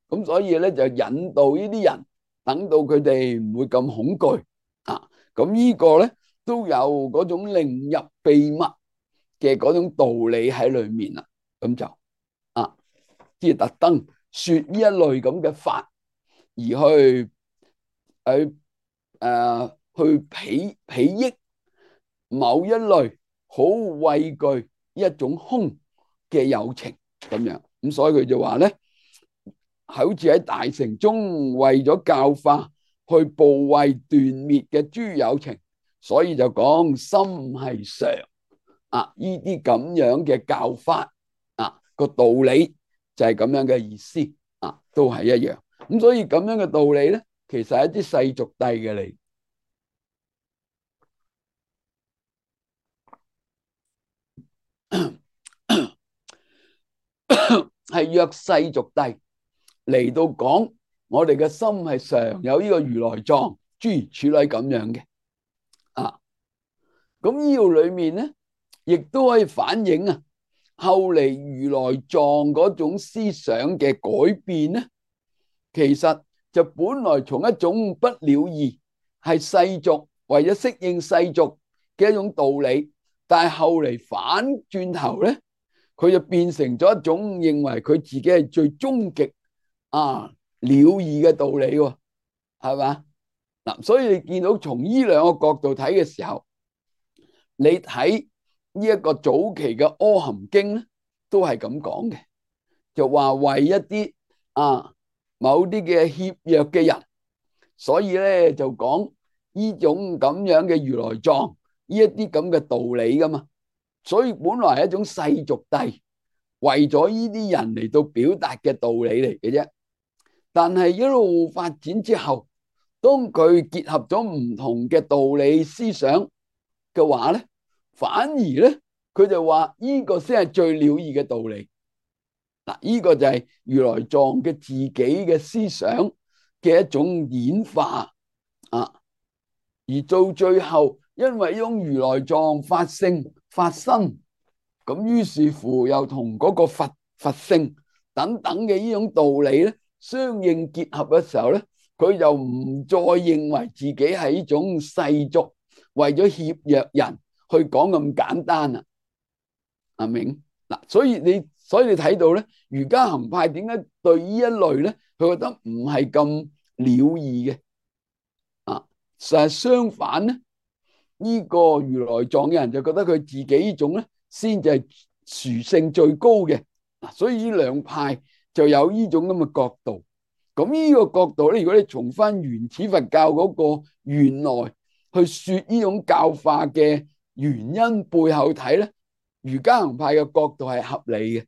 咁所以咧就引導呢啲人，等到佢哋唔會咁恐懼啊。咁呢個咧都有嗰種令入秘密嘅嗰種道理喺裏面啦。咁就啊，即係特登說呢一類咁嘅法，而去去誒去裨裨益某一類好畏懼一種空嘅有情咁樣。咁所以佢就話咧，好似喺大城中為咗教化去怖畏斷滅嘅諸有情，所以就講心係常啊。呢啲咁樣嘅教法啊，個道理就係咁樣嘅意思啊，都係一樣。咁所以咁樣嘅道理咧，其實係一啲世俗諦嘅嚟，係約世俗諦嚟到講我哋嘅心係常有呢個如來藏諸如此類咁樣嘅啊。咁呢度裏面咧，亦都可以反映啊，後嚟如來藏嗰種思想嘅改變咧，其實就本來從一種不了義，係世俗為咗適應世俗嘅一種道理，但係後嚟反轉頭咧，佢就變成咗一種認為佢自己係最終極啊了義嘅道理喎，係嘛？嗱，所以你見到從呢兩個角度睇嘅時候，你睇呢一個早期嘅阿含經咧，都係咁講嘅，就話為一啲啊某啲嘅怯弱嘅人，所以咧就講呢種咁樣嘅如來藏呢一啲咁嘅道理噶嘛。所以本來係一種世俗諦，為咗呢啲人嚟到表達嘅道理嚟嘅啫。但係一路發展之後，當佢結合咗唔同嘅道理思想嘅話咧，反而咧佢就話呢個先係最了義嘅道理。嗱，呢個就係如來藏嘅自己嘅思想嘅一種演化啊。而到最後，因為呢種如來藏法性發生，咁於是乎又同嗰個佛佛性等等嘅呢種道理咧相應結合嘅時候咧，佢就唔再認為自己係呢種世俗為咗怯弱人去講咁簡單啦。阿明嗱，所以你所以你睇到咧，瑜伽行派點解對呢一類咧，佢覺得唔係咁了義嘅啊？實係相反咧，呢個如來藏嘅人就覺得佢自己呢種咧先至係殊勝最高嘅。所以呢兩派就有呢種咁嘅角度。咁呢個角度咧，如果你從翻原始佛教嗰個原來去說呢種教化嘅原因背後睇咧，瑜伽行派嘅角度係合理嘅，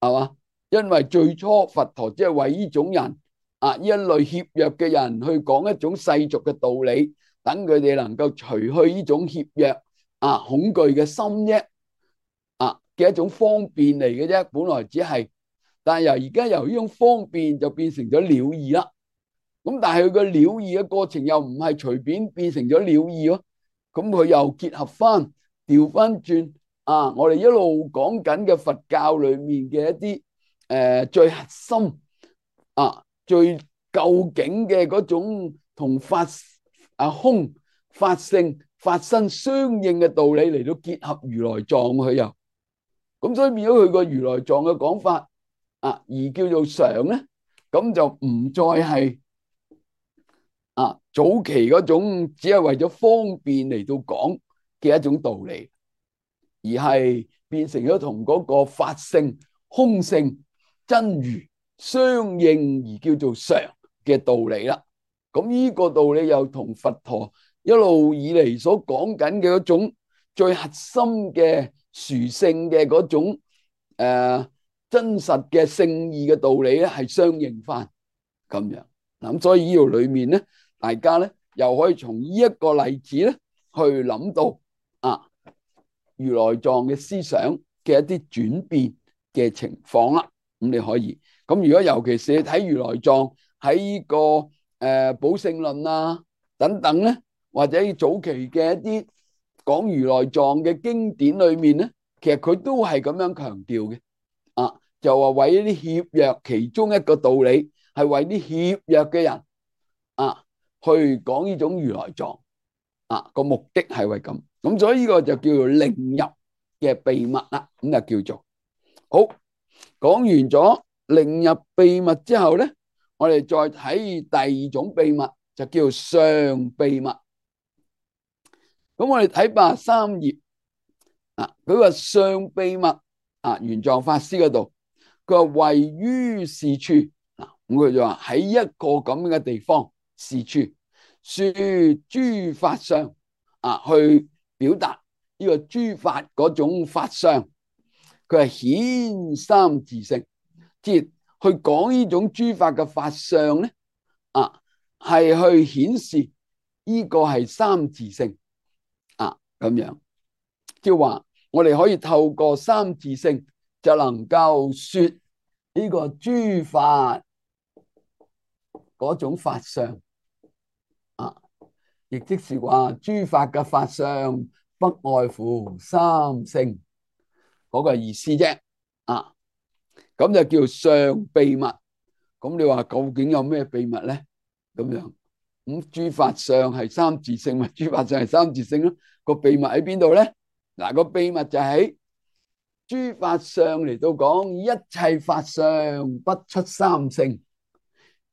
係嘛？因為最初佛陀只係為呢種人啊，呢一類怯弱嘅人去講一種世俗嘅道理，等佢哋能夠除去呢種怯弱啊恐懼嘅心啫，啊嘅一種方便嚟嘅啫，本來只係。但係由而家由呢種方便就變成咗了義啦。咁但係佢個了義嘅過程又唔係隨便變成咗了義咯。咁佢又結合翻調翻轉啊！我哋一路講緊嘅佛教裏面嘅一啲誒、呃、最核心啊最究竟嘅嗰種同法啊空法性法身相應嘅道理嚟到結合如來藏，佢又咁，所以變咗佢個如來藏嘅講法。啊，而叫做常咧，咁就唔再係啊早期嗰種只係為咗方便嚟到講嘅一種道理，而係變成咗同嗰個法性、空性、真如相應而叫做常嘅道理啦。咁呢個道理又同佛陀一路以嚟所講緊嘅嗰種最核心嘅殊勝嘅嗰種誒。呃真實嘅聖義嘅道理咧，係相應翻咁樣。咁所以呢度裏面咧，大家咧又可以從呢一個例子咧去諗到啊，如來藏嘅思想嘅一啲轉變嘅情況啦。咁你可以咁，如果尤其是你睇如來藏喺呢個誒寶性論啊等等咧，或者早期嘅一啲講如來藏嘅經典裏面咧，其實佢都係咁樣強調嘅啊，就話為一啲怯弱，其中一個道理係為啲怯弱嘅人啊去講呢種如來藏啊，個目的係為咁，咁所以呢個就叫做令入嘅秘密啦，咁就叫做好。講完咗令入秘密之後咧，我哋再睇第二種秘密，就叫做上秘密。咁我哋睇八十三頁啊，佢話上秘密啊，玄奘法師嗰度，佢話位於是處啊，咁佢就話喺一個咁樣嘅地方，是處說諸法相啊，去表達呢個諸法嗰種法相。佢係顯三自性，即係去講呢種諸法嘅法相咧，啊，係去顯示呢個係三自性啊，咁樣即係話我哋可以透過三自性就能夠說呢個諸法嗰種法相啊，亦即是話諸法嘅法相不外乎三性嗰個意思啫，啊，咁就叫上秘密。咁你話究竟有咩秘密咧？咁樣咁諸法相係三自性，咪諸法相係三自性咯。個秘密喺邊度咧？嗱，個秘密就喺諸法相嚟到講，一切法相不出三性，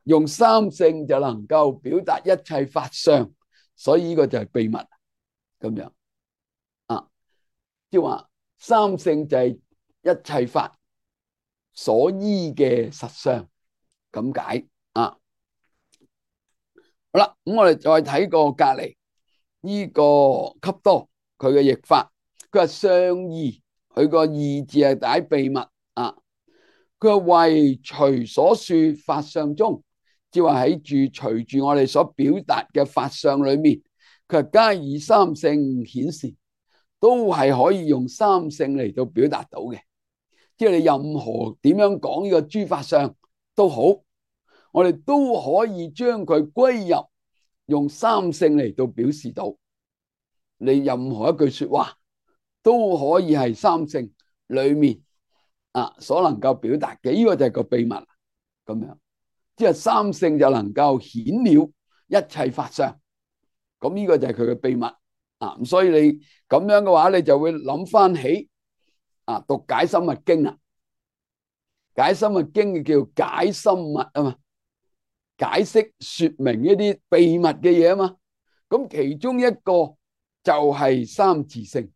用三性就能夠表達一切法相，所以呢個就係秘密咁樣啊，即係話三性就係一切法所依嘅實相咁解啊。好啦，咁我哋再睇個隔籬呢個笈多佢嘅譯法，佢話上義，佢個義字係解秘密啊。佢話為隨所說法相中，即係話喺住隨住我哋所表達嘅法相裏面，佢話皆以三性顯示，都係可以用三性嚟到表達到嘅。即係你任何點樣講呢個諸法相都好，我哋都可以將佢歸入用三性嚟到表示到。你任何一句說話都可以係三性裏面啊所能夠表達嘅，呢個就係個秘密咁樣。即係三性就能夠顯了一切法相，咁呢個就係佢嘅秘密啊。所以你咁樣嘅話，你就會諗翻起啊讀解深密經啦。解深密經叫解深密啊嘛，解釋說明一啲秘密嘅嘢啊嘛。咁其中一個就係三自性，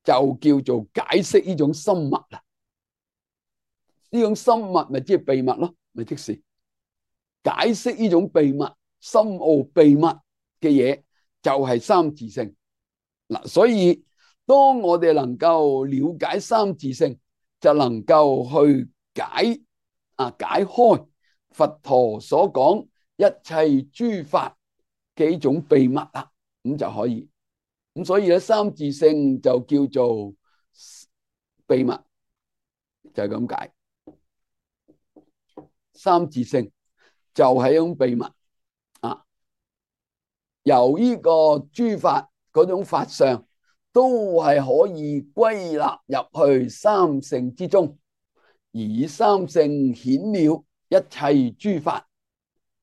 就叫做解釋呢種深密啦。呢種深密咪即係秘密咯，咪即是解釋呢種秘密、深奧秘密嘅嘢，就係三自性嗱。所以當我哋能夠了解三自性，就能夠去解啊解開佛陀所講一切諸法嘅一種秘密啦，咁就可以。咁所以咧，三自性就叫做秘密，就係咁解。三自性就係一種秘密啊，由呢個諸法嗰種法相都係可以歸納入去三性之中，而以三性顯了一切諸法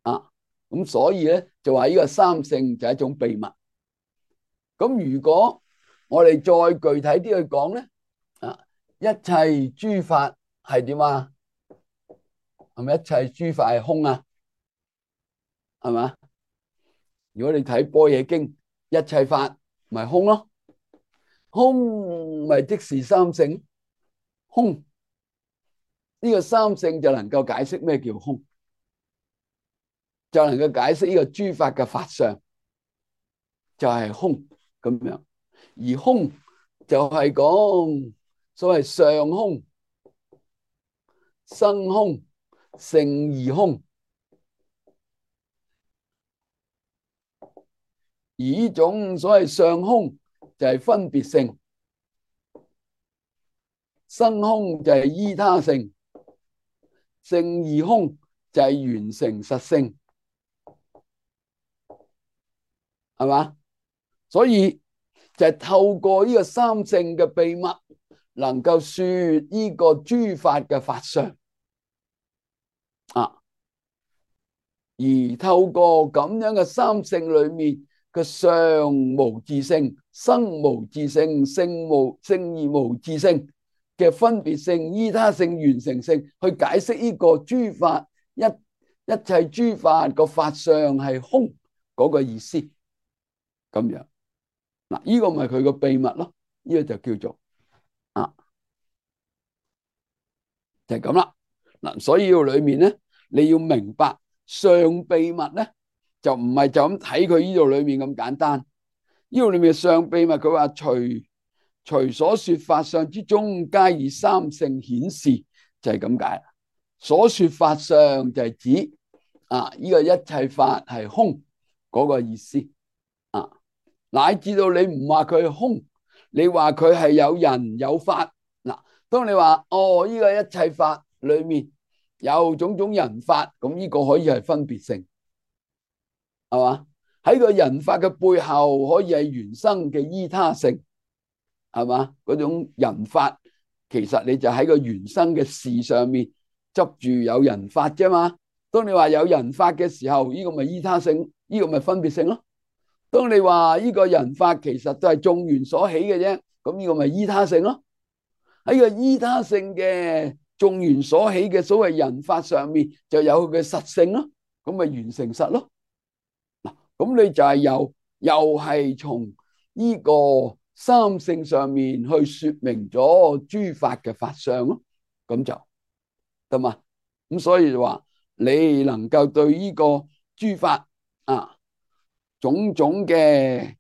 啊。咁所以咧就話呢個三性就係一種秘密。咁如果我哋再具體啲去講咧，啊，一切諸法係點啊？係咪一切諸法係空啊？係嘛？如果你睇般若經，一切法咪空咯，空咪即是三性，空呢個三性就能夠解釋咩叫空，就能夠解釋呢個諸法嘅法相就係空咁樣。而空就係講所謂上空、生空、勝義空。而呢種所謂上空就係分別性，生空就係依他性，聖二空就係緣成實性，係嘛？所以就係透過呢個三性嘅秘密，能夠說呢個諸法嘅法相啊，而透過咁樣嘅三性裏面嘅相無自性、生無自性、性無聖而無自性嘅分別性、依他性、緣成性，去解釋呢個諸法一一切諸法個法相係空嗰個意思，咁樣嗱，呢個咪佢個秘密咯，呢個就叫做啊，就係咁啦嗱。所以要裏面咧，你要明白上秘密咧，就唔係就咁睇佢呢度裏面咁簡單。呢度裏面上秘密，佢話隨隨所說法相之中，皆以三性顯示，就係咁解。所說法相就係指啊，呢個一切法係空嗰個意思啊，乃至到你唔話佢係空，你話佢係有人有法嗱。當你話哦，呢個一切法裏面有種種人法，咁呢個可以係分別性，係嘛？喺個人法嘅背後，可以係原生嘅依他性，係嘛？嗰種人法，其實你就喺個原生嘅事上面執住有人法啫嘛。當你話有人法嘅時候，呢個咪依他性，呢個咪分別性咯。當你話呢個人法其實都係眾緣所起嘅啫，咁呢個咪依他性咯。喺個依他性嘅眾緣所起嘅所謂人法上面，就有佢嘅實性咯，咁咪緣成實咯。嗱，咁你就係又又係從呢個三性上面去說明咗諸法嘅法相咯，咁就得嘛。咁所以就話你能夠對呢個諸法啊種種嘅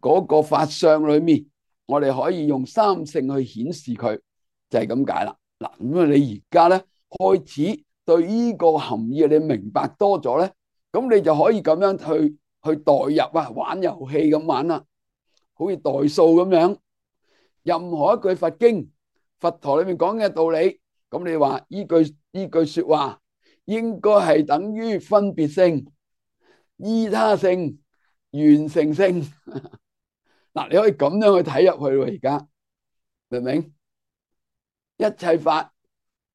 嗰個法相裏面，我哋可以用三性去顯示佢，就係咁解啦。嗱，咁啊，你而家咧開始對呢個含義你明白多咗咧，咁你就可以咁樣去去代入啊，玩遊戲咁玩啦，好似代數咁樣。任何一句佛經、佛陀裏面講嘅道理，咁你話呢句呢句說話應該係等於分別性、依他性、緣成性。嗱，你可以咁樣去睇入去喎，而家明唔明？一切法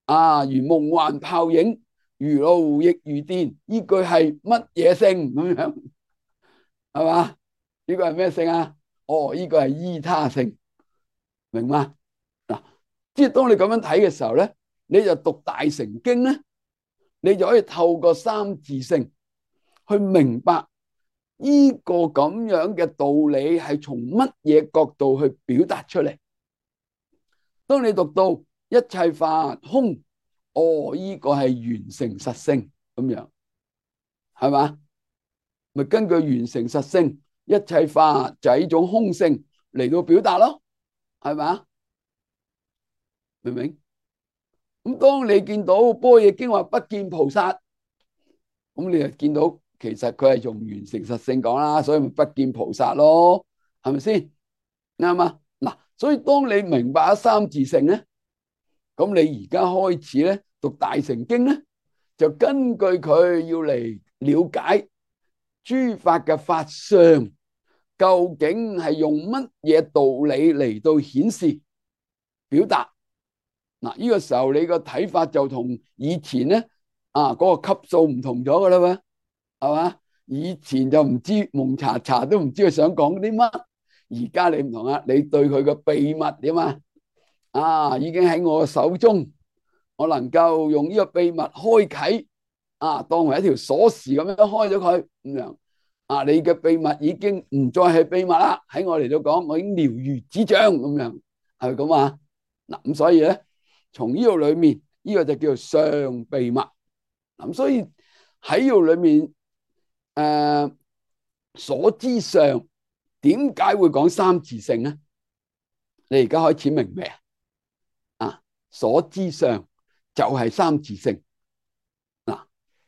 啊，如夢幻泡影，如露亦如電。呢句係乜嘢性咁樣？係嘛？呢個係咩性啊？哦，呢個係依他性，明嗎？嗱，即係當你咁樣睇嘅時候咧，你就讀大乘經咧，你就可以透過三自性去明白呢個咁樣嘅道理係從乜嘢角度去表達出嚟。當你讀到一切法空，哦，呢個係緣成實性咁樣，係嘛？咪根據緣成實性，一切法就係呢種空性嚟到表達咯，係嘛？明唔明？咁當你見到《般若經》話不見菩薩，咁你就見到其實佢係用緣成實性講啦，所以咪不見菩薩咯，係咪先？啱嘛？嗱，所以當你明白咗三自性咧，咁你而家開始咧讀大乘經咧，就根據佢要嚟了解諸法嘅法相，究竟係用乜嘢道理嚟到顯示表達。嗱，呢個時候你個睇法就同以前咧啊嗰個級數唔同咗噶啦喎，係嘛？以前就唔知蒙查查都唔知佢想講啲乜，而家你唔同啊，你對佢個秘密點啊？啊，已經喺我手中，我能夠用呢個秘密開啟啊，當為一條鎖匙咁樣開咗佢咁樣啊，你嘅秘密已經唔再係秘密啦，喺我嚟到講，我已經了如指掌咁樣，係咪咁啊？嗱，咁所以咧，從呢度裏面，呢個就叫做上秘密。咁所以喺呢度裏面，誒，所知上點解會講三自性咧？你而家開始明未啊？啊，所知上就係三自性。嗱，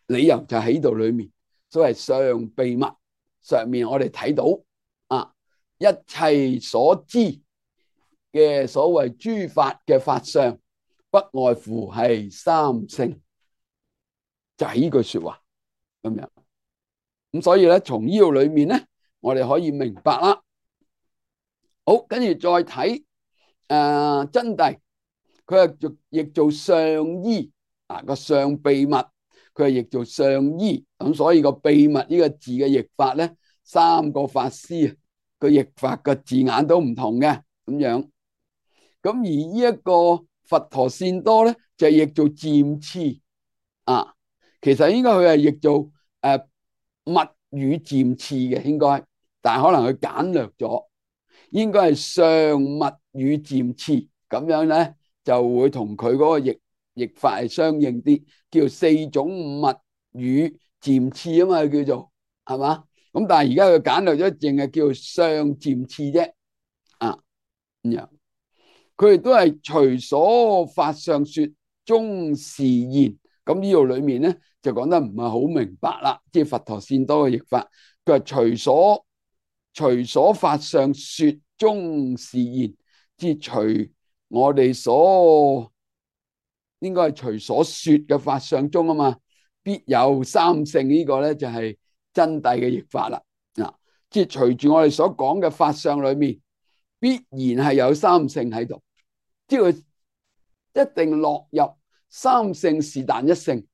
理由就喺度裏面，所謂上秘密上面，我哋睇到啊，一切所知嘅所謂諸法嘅法相，不外乎係三性，就係呢句說話咁樣。咁所以咧，從呢度裏面咧，我哋可以明白啦。好，跟住再睇誒真諦，佢係做譯做上依啊，個上秘密，佢係譯做上依。咁所以個秘密呢個字嘅譯法咧，三個法師個譯法個字眼都唔同嘅咁樣。咁而呢一個佛陀善多咧，就係譯做漸次啊。其實應該佢係譯做誒密語漸次嘅，應該，但係可能佢簡略咗，應該係上密語漸次咁樣咧，就會同佢嗰個譯譯法係相應啲，叫四種密語漸次啊嘛，叫做係嘛？咁但係而家佢簡略咗，淨係叫上漸次啫啊咁樣。佢哋都係隨所法上說，中示現。咁呢度裏面咧就講得唔係好明白啦，即係佛陀善多嘅譯法，佢係隨所隨所法上說，中示現，即係隨我哋所應該係隨所說嘅法相中啊嘛，必有三性。呢個咧就係真諦嘅譯法啦。啊，即係隨住我哋所講嘅法相裏面，必然係有三性喺度，即係佢一定落入三性是但一性。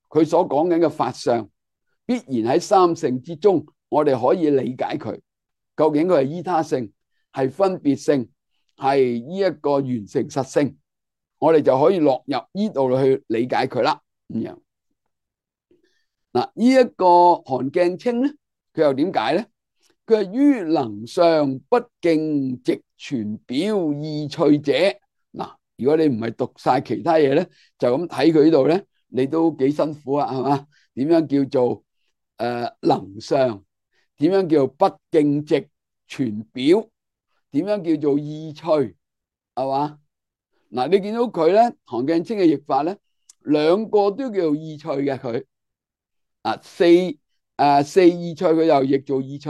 佢所講緊嘅法相，必然喺三性之中，我哋可以理解佢究竟佢係依他性，係分別性，係呢一個緣成實性，我哋就可以落入呢度去理解佢啦。咁樣嗱，呢一個韓鏡清咧，佢又點解咧？佢係於能相不徑直傳表意趣者。嗱，如果你唔係讀晒其他嘢咧，就咁睇佢呢度咧，你都幾辛苦啊，係嘛？點樣叫做誒、呃、能相？點樣叫做不徑直傳表？點樣叫做意趣？係嘛？嗱，你見到佢咧，韓鏡清嘅譯法咧，兩個都叫做意趣嘅佢啊，四誒、呃、四意趣佢又譯做意趣。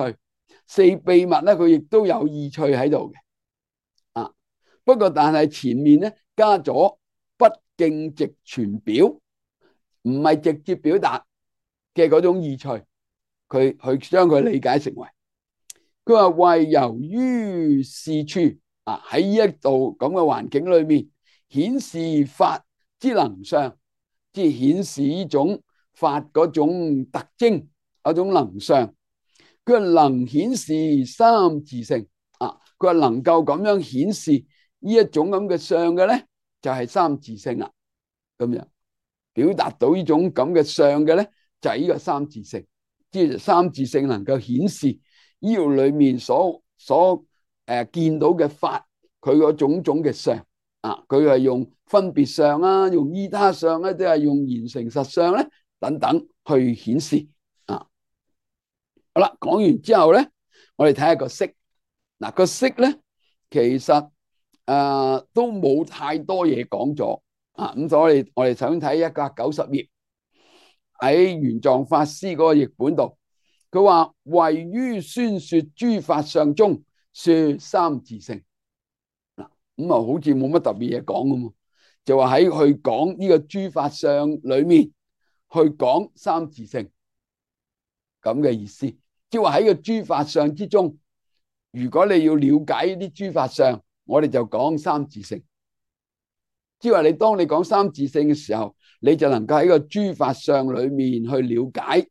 四秘密咧，佢亦都有意趣喺度嘅，啊，不過但係前面咧加咗不徑直傳表，唔係直接表達嘅嗰種意趣，佢佢將佢理解成為，佢話為由於是處啊，喺呢一度咁嘅環境裏面，顯示法之能相，即係顯示呢種法嗰種特徵，嗰種能相。佢能顯示三自性啊！佢話能夠咁樣顯示呢一種咁嘅相嘅咧，就係三自性啦。咁樣表達到呢種咁嘅相嘅咧，就係呢個三自性。即係三自性能夠顯示呢度裏面所所誒見到嘅法，佢嗰種種嘅相啊，佢係用分別相啊，用依他相咧，即係用緣成實相咧等等去顯示。好啦，講完之後咧，我哋睇下個釋。嗱，個釋咧，其實誒、呃、都冇太多嘢講咗啊。咁所以我哋想睇一百九十頁喺玄奘法師嗰個譯本度，佢話位於宣說諸法相中說三自性。嗱，咁啊好似冇乜特別嘢講咁嘛，就話喺去講呢個諸法相裏面去講三自性咁嘅意思。即係話喺個諸法相之中，如果你要了解呢啲諸法相，我哋就講三自性。即係話你當你講三自性嘅時候，你就能夠喺個諸法相裏面去了解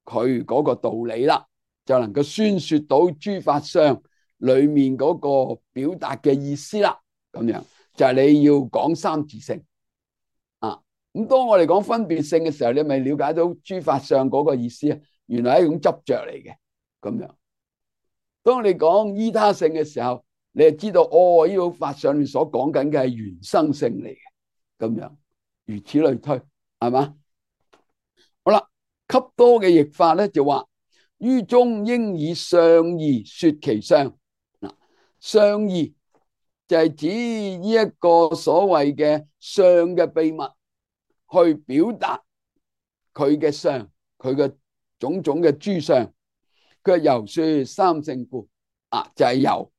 佢嗰個道理啦，就能夠宣說到諸法相裏面嗰個表達嘅意思啦。咁樣就係你要講三自性啊。咁當我哋講分別性嘅時候，你咪了解到諸法相嗰個意思啊？原來係一種執着嚟嘅，咁樣。當你講依他性嘅時候，你就知道哦，呢個法上面所講緊嘅係緣生性嚟嘅，咁樣，如此類推，係嘛？好啦，給多嘅譯法咧就話於中應以相義說其相。嗱，相義就係指呢一個所謂嘅相嘅秘密，去表達佢嘅相，佢嘅種種嘅諸相。佢由說三性故啊，就係由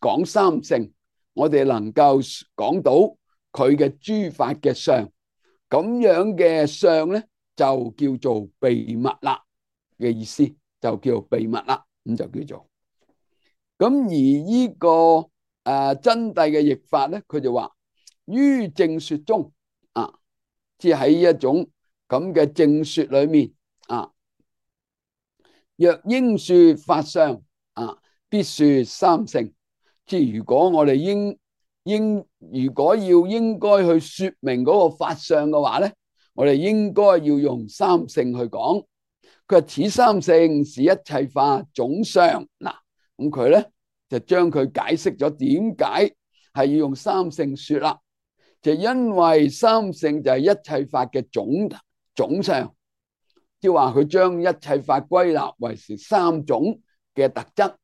講三性我哋能夠講到佢嘅諸法嘅相，咁樣嘅相咧就叫做秘密啦嘅意思，就叫做秘密啦，咁就叫做。咁而呢個誒真諦嘅譯法咧，佢就話於正說中啊，即係喺一種咁嘅正說裏面啊，若應說法相啊，必說三乘。即係如果我哋應應如果要應該去說明嗰個法相嘅話咧，我哋應該要用三乘去講。佢話此三乘是一切法總相。嗱，咁佢咧就將佢解釋咗點解係要用三乘說啦，就因為三乘就係一切法嘅總總相，即係話佢將一切法歸納為是三種嘅特質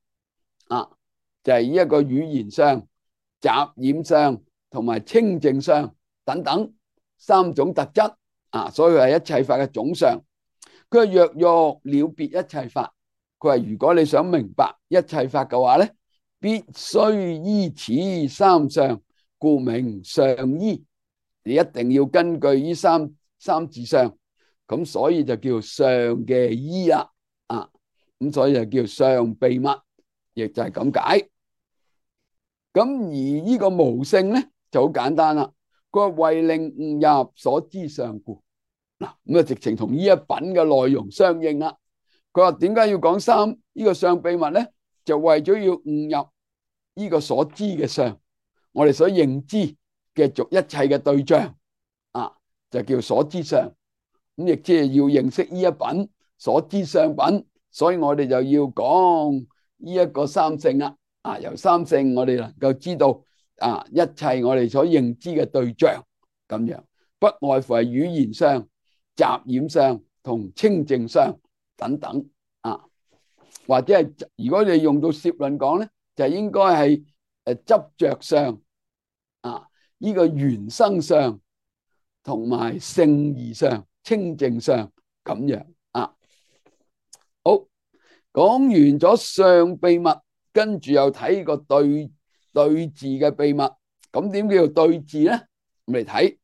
啊，就係一個語言相、雜染相同埋清淨相等等三種特質啊，所以係一切法嘅總相。佢話若欲了別一切法，佢話如果你想明白一切法嘅話咧，必須依此三相，故名相依。你一定要根據呢三三字相，咁所以就叫相嘅依啦，啊，咁所以就叫相秘密，亦就係咁解。咁而呢個無性咧就好簡單啦，佢話為令悟入所知相故。嗱，咁啊直情同呢一品嘅內容相應啦。佢話點解要講三呢個相秘密咧？就為咗要悟入呢個所知嘅相，我哋所認知嘅逐一切嘅對象啊，就叫所知相。咁亦即係要認識呢一品所知相品，所以我哋就要講呢一個三乘啦。啊，由三乘我哋能夠知道啊一切我哋所認知嘅對象咁樣，不外乎係語言相、雜染相同清淨相等等啊，或者係如果你用到攝論講咧，就應該係誒執着相啊，呢個緣生相同埋聖義相、清淨相咁樣啊。好，講完咗相秘密，跟住又睇個對對治嘅秘密。咁點叫做對治咧？我哋睇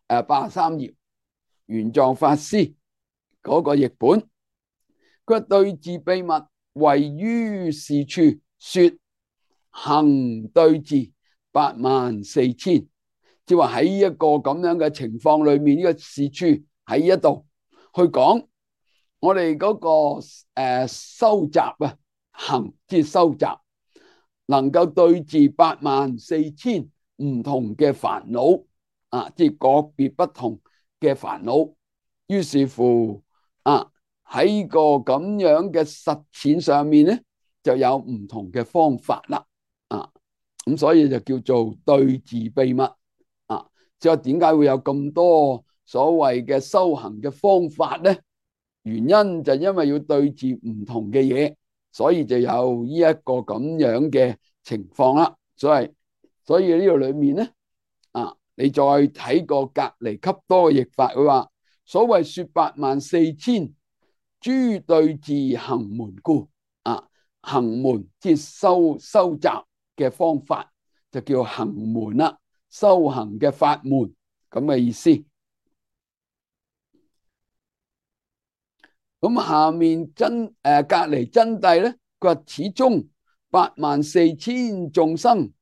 誒八十三頁玄奘法師嗰個譯本，佢話對治秘密位於是處說行對治八萬四千，即係話喺一個咁樣嘅情況裏面，呢、這個是處喺一度去講我哋嗰、那個誒、呃、收集啊，行即係收集，能夠對治八萬四千唔同嘅煩惱啊，即係個別不同嘅煩惱。於是乎啊，喺個咁樣嘅實踐上面咧，就有唔同嘅方法啦。啊，咁所以就叫做對治秘密啊。即係點解會有咁多所謂嘅修行嘅方法咧？原因就因為要對治唔同嘅嘢，所以就有呢一個咁樣嘅情況啦。所以所以呢度裏面咧啊，你再睇個隔離笈多嘅譯法，佢話所謂說八萬四千諸對治行門故啊，行門即係收收集嘅方法，就叫行門啦，修行嘅法門咁嘅意思。咁下面真誒、呃、隔離真諦咧，佢話始終八萬四千眾生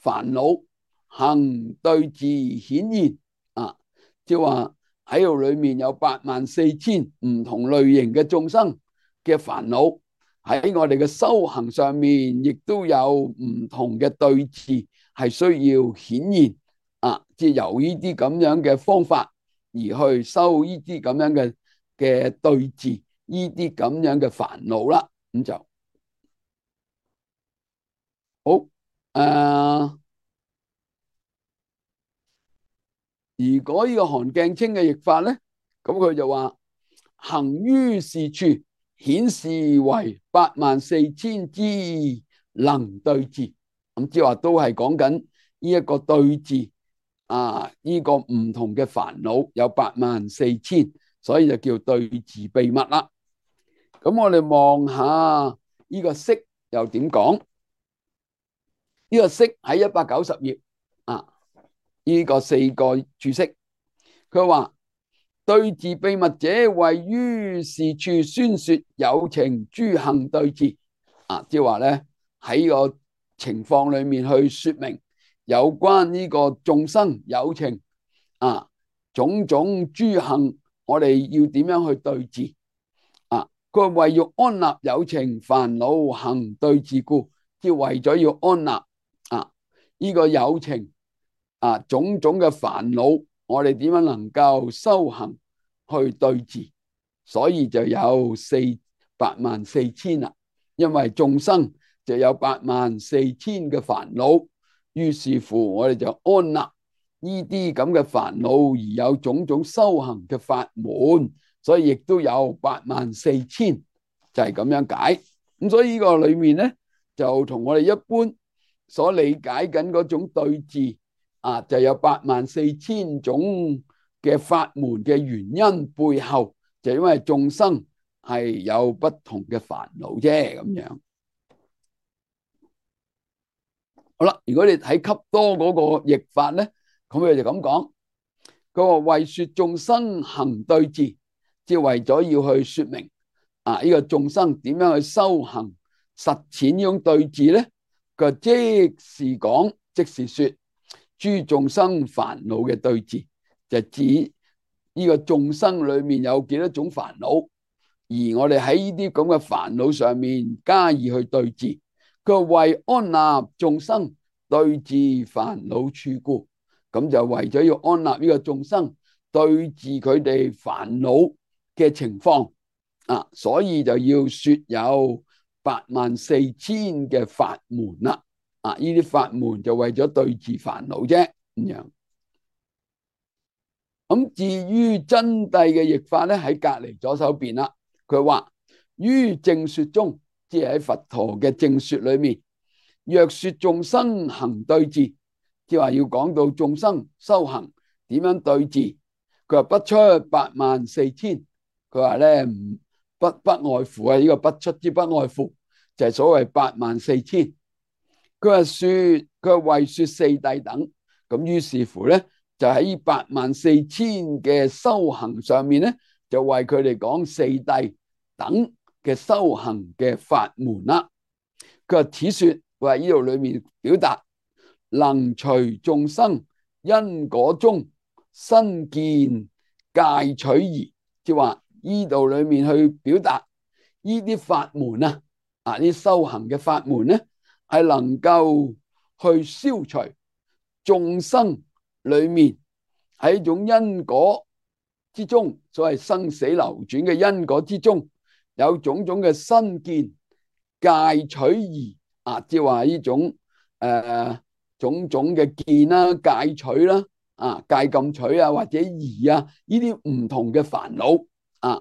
煩惱行對治顯現啊，即係話喺度裏面有八萬四千唔同類型嘅眾生嘅煩惱，喺我哋嘅修行上面亦都有唔同嘅對治係需要顯現啊，即係由呢啲咁樣嘅方法而去修呢啲咁樣嘅嘅對治，呢啲咁樣嘅煩惱啦，咁就好誒、呃。如果呢個韓鏡清嘅譯法咧，咁佢就話行於是處，顯示為八萬四千之能對治。咁即係話都係講緊呢一個對治啊，呢、這個唔同嘅煩惱有八萬四千，所以就叫對治秘密啦。咁我哋望下呢個釋又點講？呢個釋喺一百九十頁啊，呢個四個注釋，佢話對治秘密者，為於是處宣說有情諸行對治啊，即係話咧喺個情況裏面去說明有關呢個眾生有情啊種種諸行，我哋要點樣去對治啊？佢話為欲安立有情煩惱行對治故，即係為咗要安立啊呢個有情啊種種嘅煩惱，我哋點樣能夠修行去對治？所以就有四八萬四千啦，因為眾生就有八萬四千嘅煩惱，於是乎我哋就安立呢啲咁嘅煩惱，而有種種修行嘅法門，所以亦都有八萬四千，就係咁樣解。咁所以呢個裏面咧，就同我哋一般所理解緊嗰種對治啊，就有八萬四千種嘅法門嘅原因背後，就因為眾生係有不同嘅煩惱啫，咁樣。好啦，如果你睇笈多嗰個譯法咧，咁佢就咁講，佢話為說眾生行對治，即係為咗要去說明啊呢個眾生點樣去修行實踐呢種對治咧，佢即是講，即是說諸眾生煩惱嘅對治，就指呢個眾生裏面有幾多種煩惱，而我哋喺呢啲咁嘅煩惱上面加以去對治。佢為安立眾生對治煩惱處故，咁就為咗要安立呢個眾生對治佢哋煩惱嘅情況啊，所以就要說有八萬四千嘅法門啦。啊，呢啲法門就為咗對治煩惱啫，咁樣。咁至於真諦嘅譯法咧，喺隔籬左手邊啦。佢話於正說中，即係喺佛陀嘅正說裏面，若說眾生行對治，即係話要講到眾生修行點樣對治。佢話不出八萬四千，佢話咧唔不不外乎啊，呢個不出之不外乎就係所謂八萬四千。佢話說佢話為說四諦等，咁於是乎咧就喺八萬四千嘅修行上面咧，就為佢哋講四諦等嘅修行嘅法門啦。佢話此說，佢話呢度裏面表達能隨眾生因果中身見戒取義，即係話呢度裏面去表達呢啲法門啊，啊呢修行嘅法門咧，係能夠去消除眾生裏面喺一種因果之中，所謂生死流轉嘅因果之中，有種種嘅身見戒取義啊，即係話呢種誒、呃、種種嘅見啦、戒取啦、啊戒禁取啊，或者義啊，呢啲唔同嘅煩惱啊，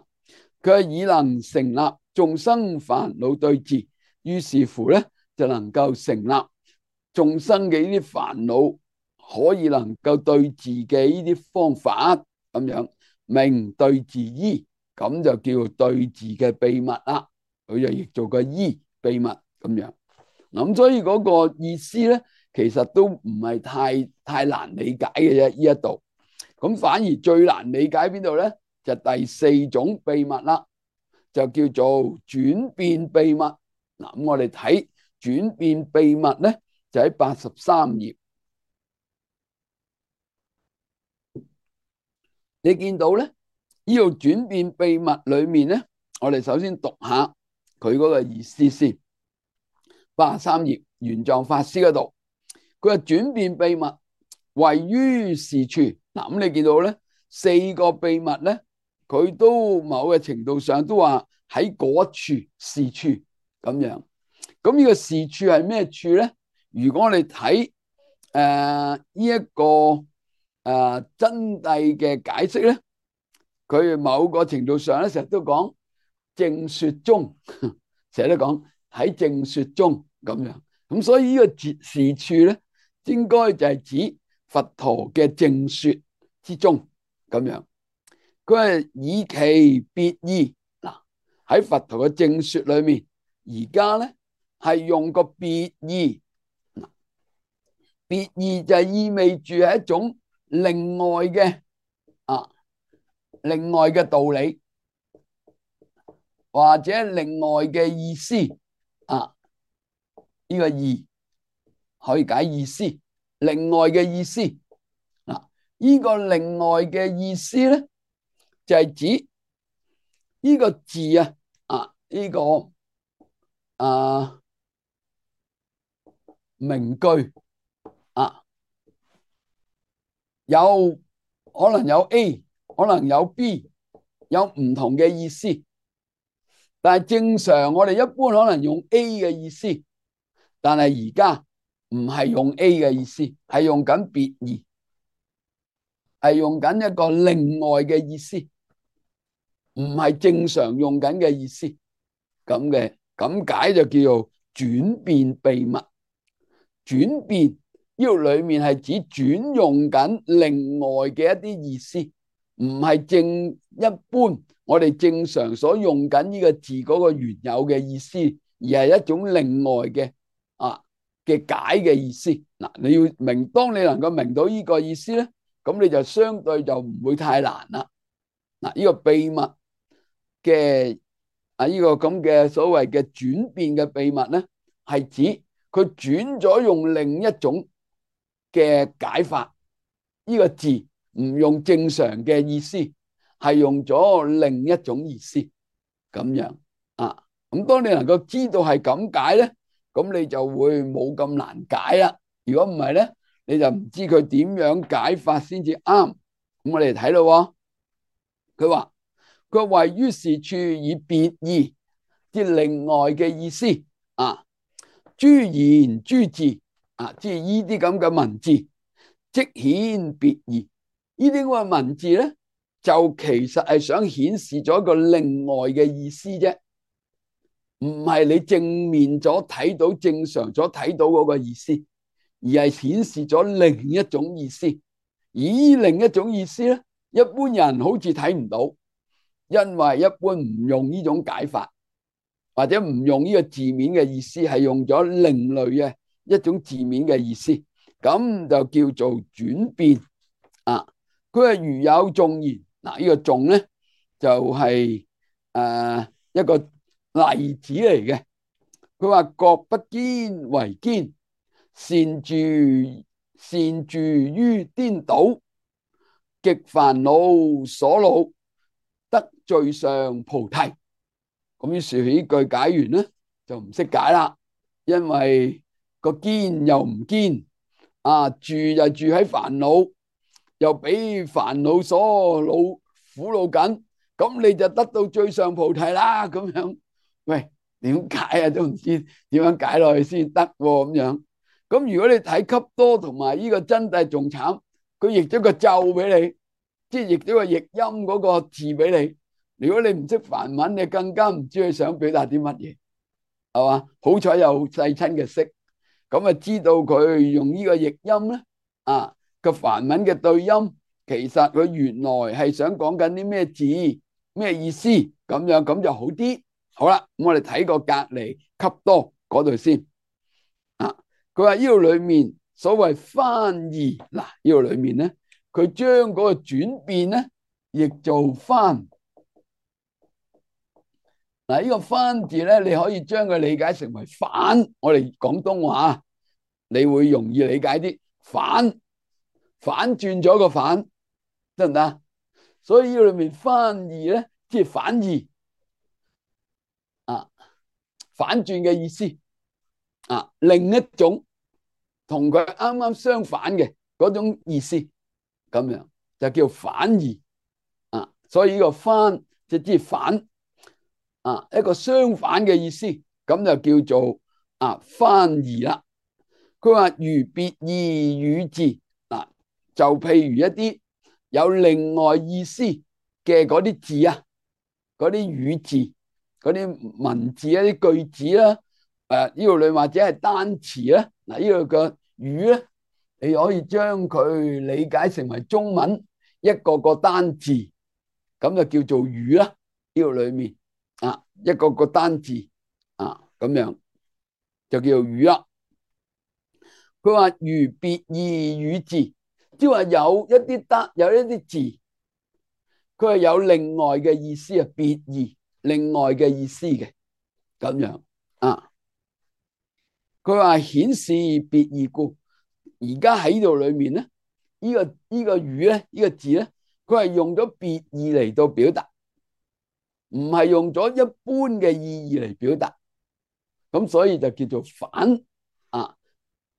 佢係以能成立眾生煩惱對治，於是乎咧就能夠成立眾生嘅呢啲煩惱可以能夠對治嘅呢啲方法，咁樣名對治醫，咁就叫對治嘅秘密啦。佢就譯做個醫秘密咁樣。咁所以嗰個意思咧，其實都唔係太太難理解嘅啫。呢一度咁反而最難理解邊度咧？就第四種秘密啦，就叫做轉變秘密。嗱，咁我哋睇轉變秘密咧，就喺八十三頁。你見到咧，呢度轉變秘密裏面咧，我哋首先讀下佢嗰個意思先。八十三頁玄奘法師嗰度，佢話轉變秘密位於是處。嗱，咁你見到咧，四個秘密咧，佢都某個程度上都話喺嗰處是處咁樣。咁呢個是處係咩處咧？如果我哋睇誒呢一個誒、呃、真諦嘅解釋咧，佢某個程度上咧，成日都講正說中，成日都講喺正說中咁樣。咁所以呢個是處咧，應該就係指佛陀嘅正說之中咁樣。佢係以其別義。嗱，喺佛陀嘅正說裏面，而家咧係用個別義。別義就意味住係一種另外嘅啊，另外嘅道理或者另外嘅意思啊，呢個義可以解意思，另外嘅意思啊，呢個另外嘅意思咧就係指呢個字啊啊呢個啊名句啊，有可能有 A， 可能有 B， 有唔同嘅意思。但係正常我哋一般可能用 A 嘅意思，但係而家唔係用 A 嘅意思，係用緊別義，係用緊一個另外嘅意思，唔係正常用緊嘅意思。咁嘅咁解就叫做轉變秘密。轉變呢度裏面係指轉用緊另外嘅一啲意思，唔係正一般我哋正常所用緊呢個字嗰個原有嘅意思，而係一種另外嘅啊嘅解嘅意思。嗱，你要明，當你能夠明到呢個意思咧，咁你就相對就唔會太難啦。嗱，呢個秘密嘅啊呢個咁嘅所謂嘅轉變嘅秘密咧，係指佢轉咗用另一種嘅解法，呢個字唔用正常嘅意思，係用咗另一種意思咁樣啊。咁當你能夠知道係咁解咧，咁你就會冇咁難解啦。如果唔係咧，你就唔知佢點樣解法先至啱。咁我哋睇咯，佢話佢位於是處以別義，即另外嘅意思啊。諸言諸字啊，即係呢啲咁嘅文字，即顯別義。呢啲咁嘅文字咧，就其實係想顯示咗一個另外嘅意思啫，唔係你正面咗睇到正常咗睇到嗰個意思，而係顯示咗另一種意思。而另一種意思咧，一般人好似睇唔到，因為一般唔用呢種解法，或者唔用呢個字面嘅意思，係用咗另類嘅一種字面嘅意思，咁就叫做轉變啊。佢係如有頌言，嗱、這個、呢個頌咧就係、是、誒、呃、一個例子嚟嘅。佢話覺不堅為堅，擅住擅住於顛倒，極煩惱所惱，得最上菩提。咁於是呢句解完咧，就唔識解啦，因為個堅又唔堅，啊住就住喺煩惱，又俾煩惱所惱苦惱緊，咁你就得到最上菩提啦。咁樣，喂，點解啊？都唔知點樣解落去先得咁樣。咁如果你睇笈多同埋呢個真諦仲慘，佢譯咗個咒俾你，即係譯咗個譯音嗰個字俾你。如果你唔識梵文，你更加唔知佢想表達啲乜嘢，係嘛？好彩有世親嘅識，咁啊知道佢用呢個譯音咧，啊個梵文嘅對音，其實佢原來係想講緊啲咩字，咩意思，咁樣咁就好啲。好啦，咁我哋睇個隔離笈多嗰度先。啊，佢話呢度裏面所謂翻譯，嗱呢度裏面咧，佢將嗰個轉變咧，譯做翻。嗱，呢個翻字咧，你可以將佢理解成為反。我哋廣東話，你會容易理解啲。反反轉咗個反，得唔得？所以呢裏面翻譯咧，即係反義啊，反轉嘅意思啊，另一種同佢啱啱相反嘅嗰種意思，咁樣就叫反義啊。所以呢個翻即係反。啊，一個相反嘅意思，咁就叫做啊翻譯啦。佢話如別義語字，嗱就譬如一啲有另外意思嘅嗰啲字啊，嗰啲語字、嗰啲文字一啲句子啦，誒呢度裏或者係單詞啦，嗱呢度個語咧，你可以將佢理解成為中文一個個單字，咁就叫做語啦。呢度裏面。啊，一個個單字啊，咁樣就叫做語啦。佢話如別義語字，即係話有一啲得，有一啲字，佢係有另外嘅意思啊，別義，另外嘅意思嘅咁樣啊。佢話顯示別義故，而家喺呢度裏面咧，呢、這個呢、這個語咧，呢、這個字咧，佢係用咗別義嚟到表達，唔係用咗一般嘅意義嚟表達，咁所以就叫做反啊，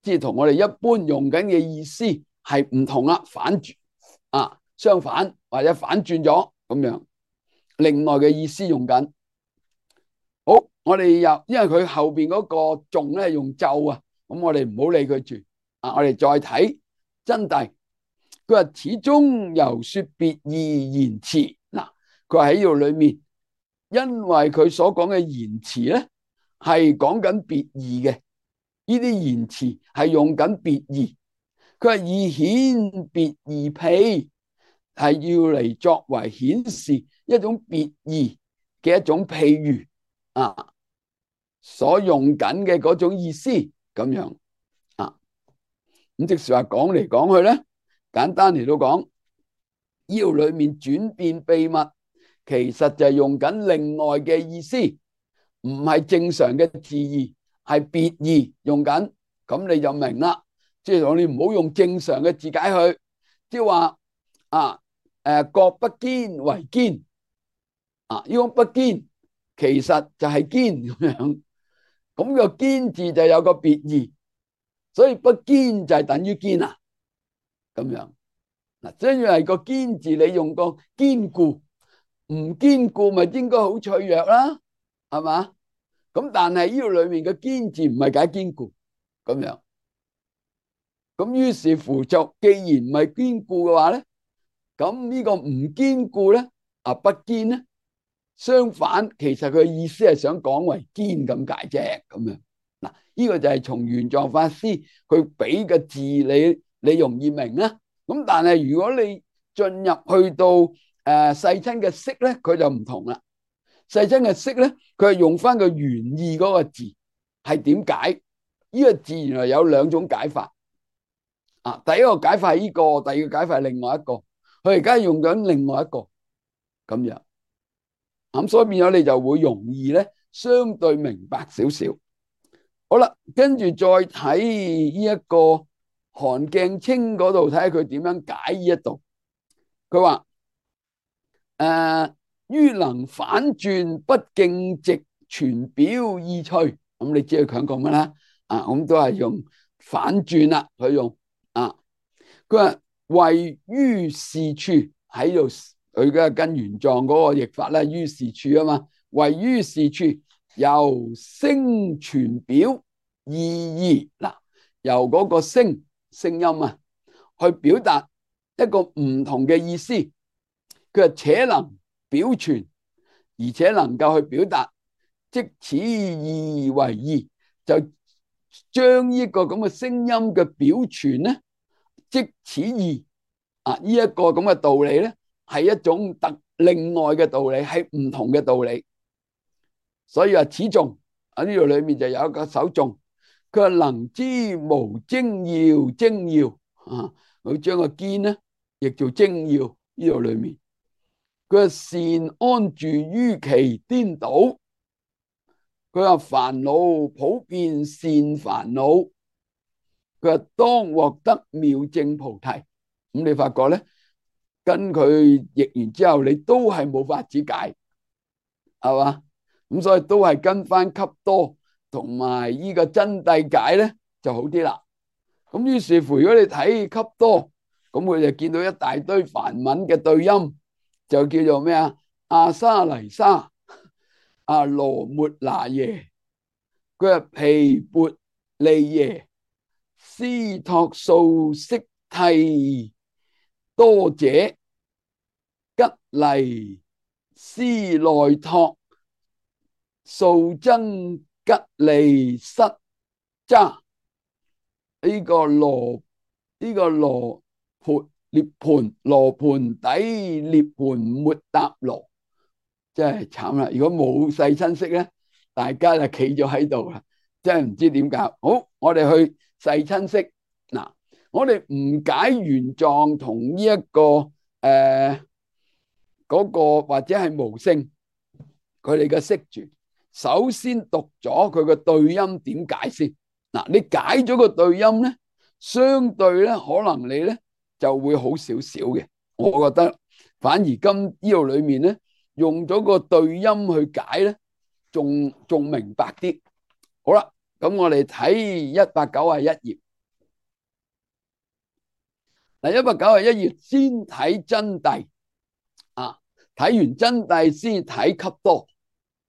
即係同我哋一般用緊嘅意思係唔同啦，反轉啊，相反或者反轉咗咁樣，另外嘅意思用緊。好，我哋又因為佢後邊嗰個頌咧用咒啊，咁我哋唔好理佢住啊，我哋再睇真諦。佢話始終猶說別義言辭，嗱，佢話喺呢度裏面，因為佢所講嘅言辭咧係講緊別義嘅，呢啲言辭係用緊別義。佢話以顯別義譬，係要嚟作為顯示一種別義嘅一種譬喻啊，所用緊嘅嗰種意思咁樣啊。咁即是話講嚟講去咧，簡單嚟到講，呢度裏面轉變秘密，其實就係用緊另外嘅意思，唔係正常嘅字義，係別義用緊，咁你就明啦。即係我哋唔好用正常嘅字解佢，即係話啊，誒，各不堅為堅啊，呢個不堅其實就係堅咁樣，咁個堅字就有個別義，所以不堅就係等於堅啊，咁樣嗱，即係個堅字你用個堅固，唔堅固咪應該好脆弱啦，係嘛？咁但係呢度裏面嘅堅字唔係解堅固咁樣。咁於是乎就，既然唔係堅固嘅話咧，咁呢個唔堅固咧，啊不堅咧，相反，其實佢意思係想講為堅咁解啫，咁樣嗱，呢個就係從玄奘法師佢俾嘅字你，你容易明啦。咁但係如果你進入去到誒世親嘅釋咧，佢就唔同啦。世親嘅釋咧，佢係用翻個原意嗰個字係點解？呢個字原來有兩種解法。啊，第一個解法係呢個，第二個解法係另外一個，佢而家用緊另外一個咁樣，咁所以變咗你就會容易咧，相對明白少少。好啦，跟住再睇呢一個韓鏡清嗰度，睇下佢點樣解呢一度。佢話誒，於能反轉不徑直，傳表意趣。咁你知佢講講乜啦？啊，咁都係用反轉啦，佢用。啊！佢話位於是處喺度，佢嘅跟玄奘嗰個譯法咧，於是處啊嘛，位於是處由聲傳表意義嗱，由嗰個聲聲音啊，去表達一個唔同嘅意思。佢話且能表傳，而且能夠去表達，即此意為義，就將呢個咁嘅聲音嘅表傳咧，即此義啊！呢一個咁嘅道理咧，係一種特另外嘅道理，係唔同嘅道理。所以話此頌喺呢度裏面就有一個首頌，佢話能知無精要，精要啊！佢將個堅咧亦做精要，呢度裏面佢話善安住於其顛倒。佢話煩惱普遍善煩惱，佢話當獲得妙證菩提。咁你發覺咧，跟佢譯完之後，你都係冇法子解，係嘛？咁所以都係跟翻笈多同埋呢個真諦解咧就好啲啦。咁於是乎，如果你睇笈多，咁佢就見到一大堆梵文嘅對音，就叫做咩啊？阿沙黎沙。啊羅末那耶，佢話毗缽利耶，斯托素悉替多者，吉黎斯內托，素僧吉利失渣。呢、這個羅呢、這個羅盤涅盤羅盤底涅盤末達羅。真係慘啦！如果冇世親識咧，大家就企咗喺度啦，真係唔知點搞。好，我哋去世親戚。嗱，我哋誤解原狀同呢一個誒嗰個或者係無聲佢哋嘅釋傳，首先讀咗佢個對音點解先。嗱，你解咗個對音咧，相對咧可能你咧就會好少少嘅。我覺得反而今呢度裏面咧用咗個對音去解咧，仲仲明白啲。好啦，咁我哋睇一百九十一頁。嗱，一百九十一頁先睇真諦啊，睇完真諦先睇笈多，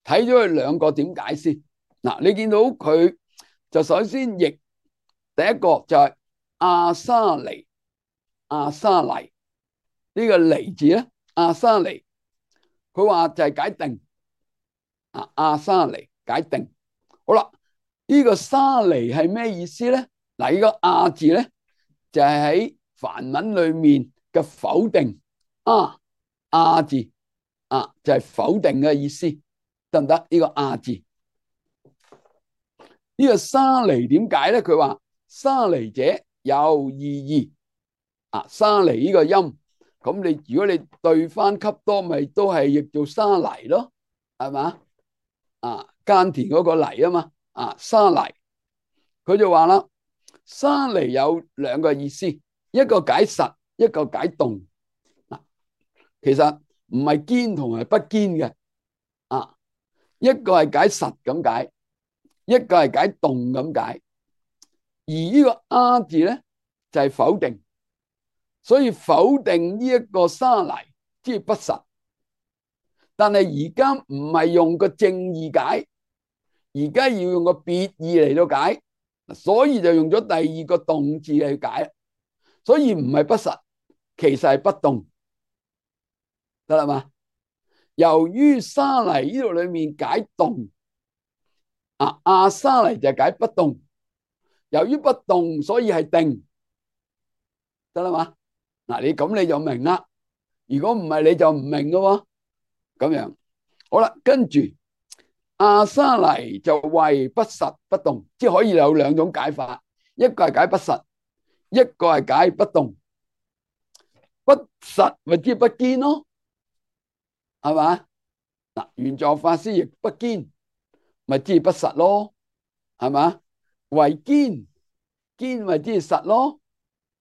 睇咗佢兩個點解先。嗱，你見到佢就首先譯第一個就係阿沙尼，阿沙尼呢個尼字咧，阿沙尼佢話就係解定啊，阿沙尼解定。好啦，呢個沙尼係咩意思咧？嗱，呢個阿字咧就係喺梵文裏面嘅否定啊，阿字啊就係否定嘅意思，得唔得？呢個阿字，呢個沙尼點解咧？佢話沙尼者有意義啊，沙尼呢個音，咁你如果你對翻笈多，咪都係譯做沙泥咯，係嘛？啊，耕田嗰個泥啊嘛，啊沙泥，佢就話啦，沙尼有兩個意思。一個解實，一個解動。嗱，其實唔係堅同埋不堅嘅啊，一個係解實咁解，一個係解動咁解。而呢個阿字咧就係否定，所以否定呢一個沙泥即係不實。但係而家唔係用個正義解，而家要用個別義嚟到解，所以就用咗第二個動字嚟解。所以唔係不實，其實係不動，得啦嘛？由於沙泥呢度裏面解動，啊阿沙泥就解不動。由於不動，所以係定，得啦嘛？嗱，你咁你就明啦。如果唔係，你就唔明噶喎。咁樣好啦，跟住阿沙泥就為不實不動，即係可以有兩種解法，一個係解不實，一個係解不動。不實咪即係不堅咯，係嘛？嗱，玄奘法師亦不堅，咪即係不實咯，係嘛？為堅，堅咪即係實咯，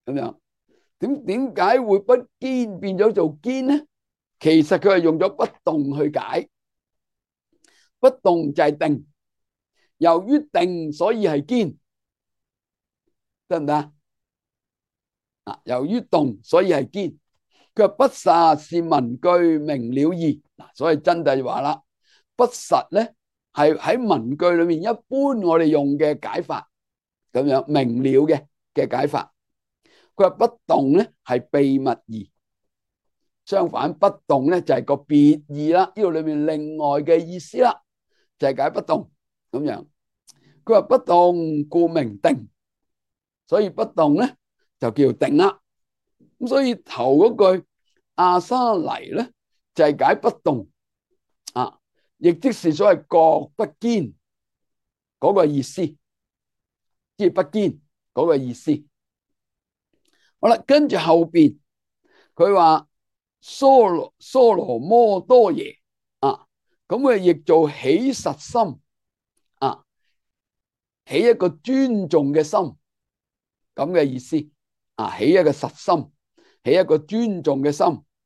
咁樣點點解會不堅變咗做堅呢？其實佢係用咗不動去解，不動就係定，由於定所以係堅，得唔得啊？由於動所以係堅。佢話不實是文句明了義，嗱，所以真諦話啦，不實咧係喺文句裏面一般我哋用嘅解法，咁樣明了嘅嘅解法。佢話不動咧係秘密義，相反不動咧就係個別義啦，呢度裏面另外嘅意思啦，就係解不動咁樣。佢話不動故名定，所以不動咧就叫定啦。咁所以頭嗰句阿沙泥咧就係解不動啊，亦即是所謂覺不堅嗰個意思，即係不堅嗰個意思。好啦，跟住後邊佢話娑羅娑羅摩多耶啊，咁佢譯做起實心啊，起一個尊重嘅心咁嘅意思啊，起一個實心。起一個尊重嘅心，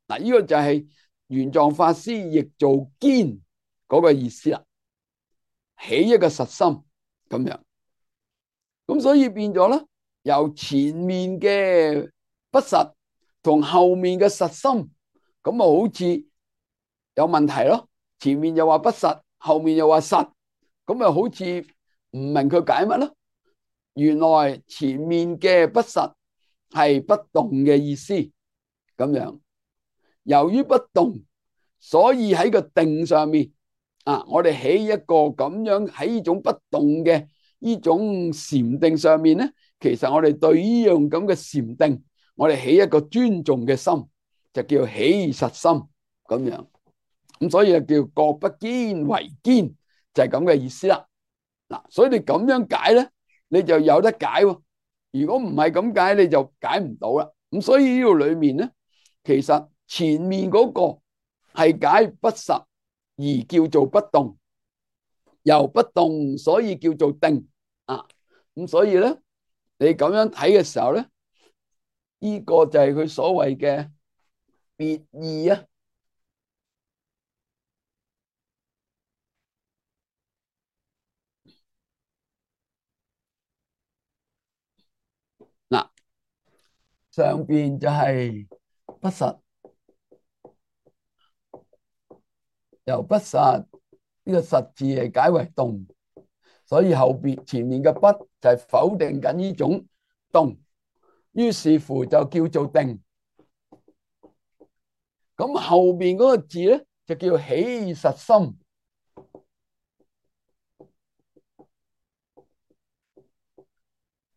嗱，呢個就係玄奘法師譯做堅嗰個意思啦。起一個實心咁樣，咁所以變咗咧，由前面嘅不實同後面嘅實心，咁啊好似有問題咯。前面又話不實，後面又話實，咁啊好似唔明佢解乜咯。原來前面嘅不實係不動嘅意思，咁樣。由於不動，所以喺個定上面啊，我哋起一個咁樣喺呢種不動嘅呢種禪定上面咧，其實我哋對呢樣咁嘅禪定，我哋起一個尊重嘅心，就叫起實心咁樣。咁所以就叫覺不堅為堅，就係咁嘅意思啦。嗱，所以你咁樣解咧，你就有得解喎。如果唔係咁解，你就解唔到啦。咁所以呢度裏面咧，其實前面嗰個係解不實而叫做不動，由不動所以叫做定啊。咁所以咧，你咁樣睇嘅時候咧，呢個就係佢所謂嘅別義啊。嗱，上邊就係不實，由不實呢個實字係解為動，所以後邊前面嘅不就係否定緊呢種動，於是乎就叫做定。咁後邊嗰個字咧就叫起實心，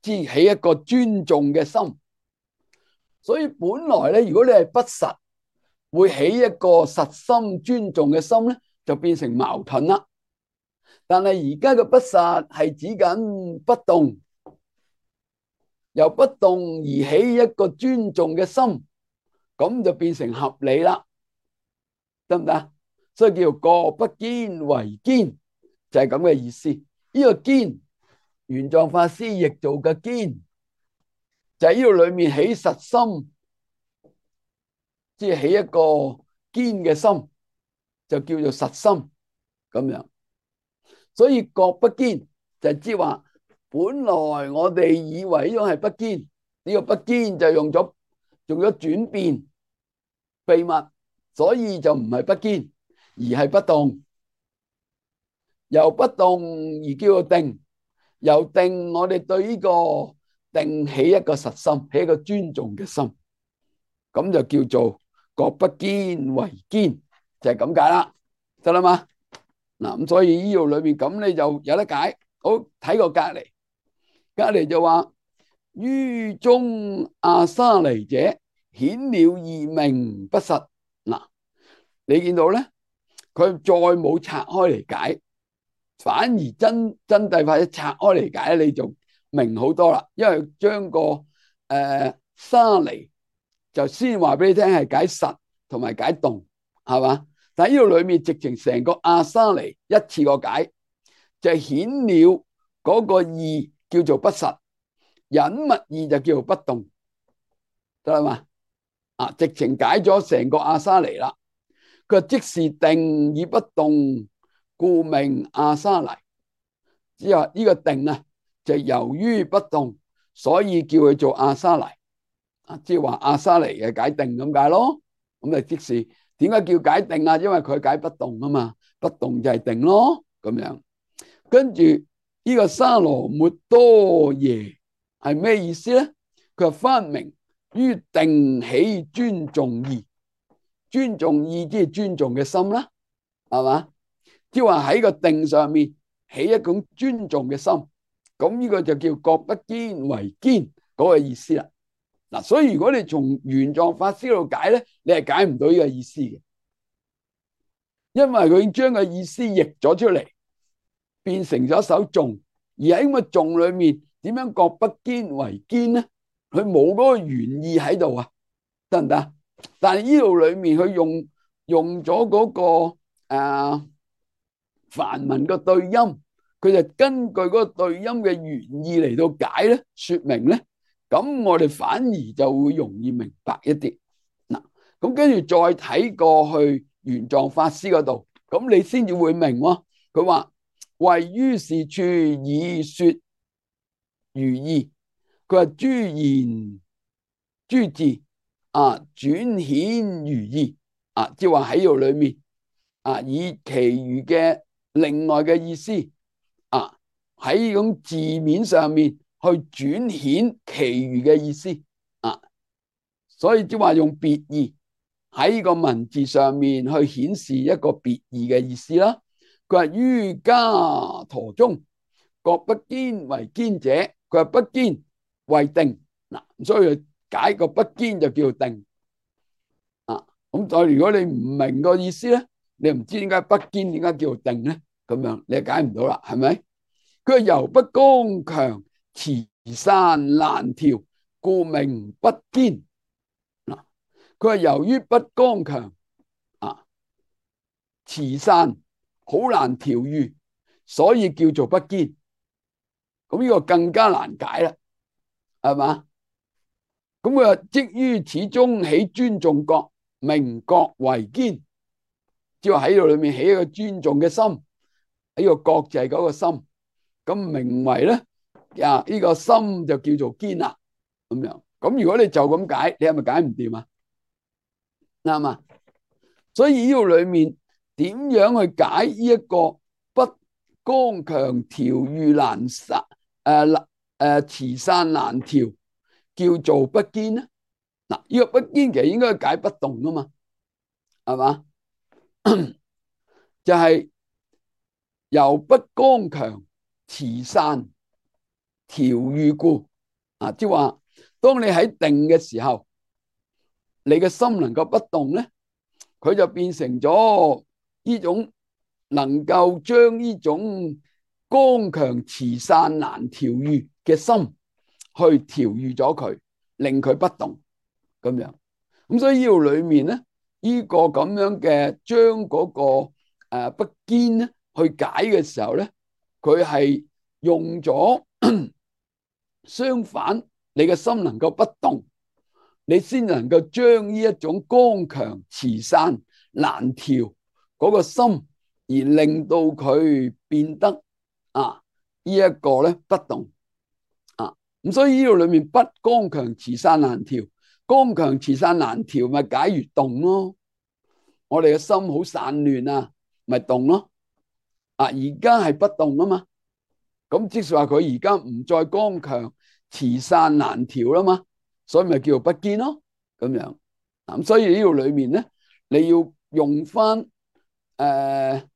即起一個尊重嘅心。所以本來咧，如果你係不實，會起一個實心尊重嘅心咧，就變成矛盾啦。但係而家嘅不實係指緊不動，由不動而起一個尊重嘅心，咁就變成合理啦，得唔得？所以叫各不堅為堅，就係咁嘅意思。呢個堅，玄奘法師譯做嘅堅，就係呢度裏面起實心，即係起一個堅嘅心，就叫做實心咁樣。所以各不堅就係知話，本來我哋以為呢種係不堅，呢個不堅就用咗用咗轉變秘密，所以就唔係不堅，而係不動。由不動而叫做定，由定我哋對呢個定起一個實心，起一個尊重嘅心，咁就叫做各不堅為堅，就係咁解啦，得啦嘛。嗱，咁所以呢度裏面咁你就有得解。好，睇個隔籬，隔籬就話於中阿沙尼者顯了義名不實。嗱，你見到咧，佢再冇拆開嚟解，反而真真諦法一拆開嚟解，你就明好多啦。因為將個誒、呃、沙尼就先話俾你聽係解實同埋解動，係嘛？但係呢度裏面直情成個阿沙尼一次過解，就顯了嗰個義叫做不實，隱密義就叫做不動，得啦嘛？啊，直情解咗成個阿沙尼啦。佢即是定以不動，故名阿沙尼。即係呢個定啊，就由於不動，所以叫佢做阿沙尼。啊，即係話阿沙尼嘅解定咁解咯。咁啊，即是點解叫解定啊？因為佢解不動啊嘛，不動就係定咯，咁樣。跟住呢個沙羅末多耶係咩意思咧？佢話翻明於定起尊重義，尊重義即係尊重嘅心啦，係嘛？即係話喺個定上面起一種尊重嘅心，咁呢個就叫各不堅為堅嗰個意思啦。嗱，所以如果你從玄奘法師嗰度解咧，你係解唔到呢個意思嘅，因為佢已經將個意思譯咗出嚟，變成咗一首頌，而喺咁個頌裏面，點樣各不堅為堅咧？佢冇嗰個原意喺度啊，得唔得？但係呢度裏面佢用用咗嗰個誒梵文個對音，佢就根據嗰個對音嘅原意嚟到解咧，說明咧，咁我哋反而就會容易明白一啲。嗱，咁跟住再睇過去玄奘法師嗰度，咁你先至會明喎。佢話謂於是處以說如義，佢話諸言諸字啊轉顯如義啊，即係話喺度裏面啊，以其餘嘅另外嘅意思啊，喺呢種字面上面去轉顯其餘嘅意思啊，所以即係話用別義喺呢個文字上面去顯示一個別義嘅意思啦。佢話於伽陀中各不堅為堅者，佢話不堅為定嗱，所以解個不堅就叫定啊。咁再如果你唔明個意思咧，你唔知點解不堅點解叫定咧，咁樣你解唔到啦，係咪？佢話由不剛強持散難調，故名不堅。嗱，佢話由於不剛強啊，持散好難調御，所以叫做不堅。咁呢個更加難解啦，係嘛？咁佢話即於此中起尊重覺，名覺為堅，即係話喺度裏面起一個尊重嘅心，呢個覺就係嗰個心，咁名為咧啊呢個心就叫做堅啦，咁樣。咁如果你就咁解，你係咪解唔掂啊？啱嘛？所以呢度裏面點樣去解呢一個不剛強調御難散誒誒持散難調，叫做不堅咧？嗱，呢個不堅其實應該解不動啊嘛，係嘛？就係由不剛強持散調御故啊，即係話當你喺定嘅時候，你嘅心能夠不動咧，佢就變成咗呢種能夠將呢種剛強持散難調御嘅心去調御咗佢，令佢不動咁樣。咁所以呢度裏面咧，呢個咁樣嘅將嗰個誒不堅咧去解嘅時候咧，佢係用咗相反，你嘅心能夠不動，你先能夠將呢一種剛強持散難調嗰個心，而令到佢變得啊呢一個咧不動啊。咁所以呢度裏面不剛強持散難調，剛強持散難調咪解如動咯。我哋嘅心好散亂啊，咪動咯。啊，而家係不動啊嘛，咁即係話佢而家唔再剛強持散難調啦嘛，所以咪叫做不堅咯。咁樣咁所以呢度裏面咧，你要用翻誒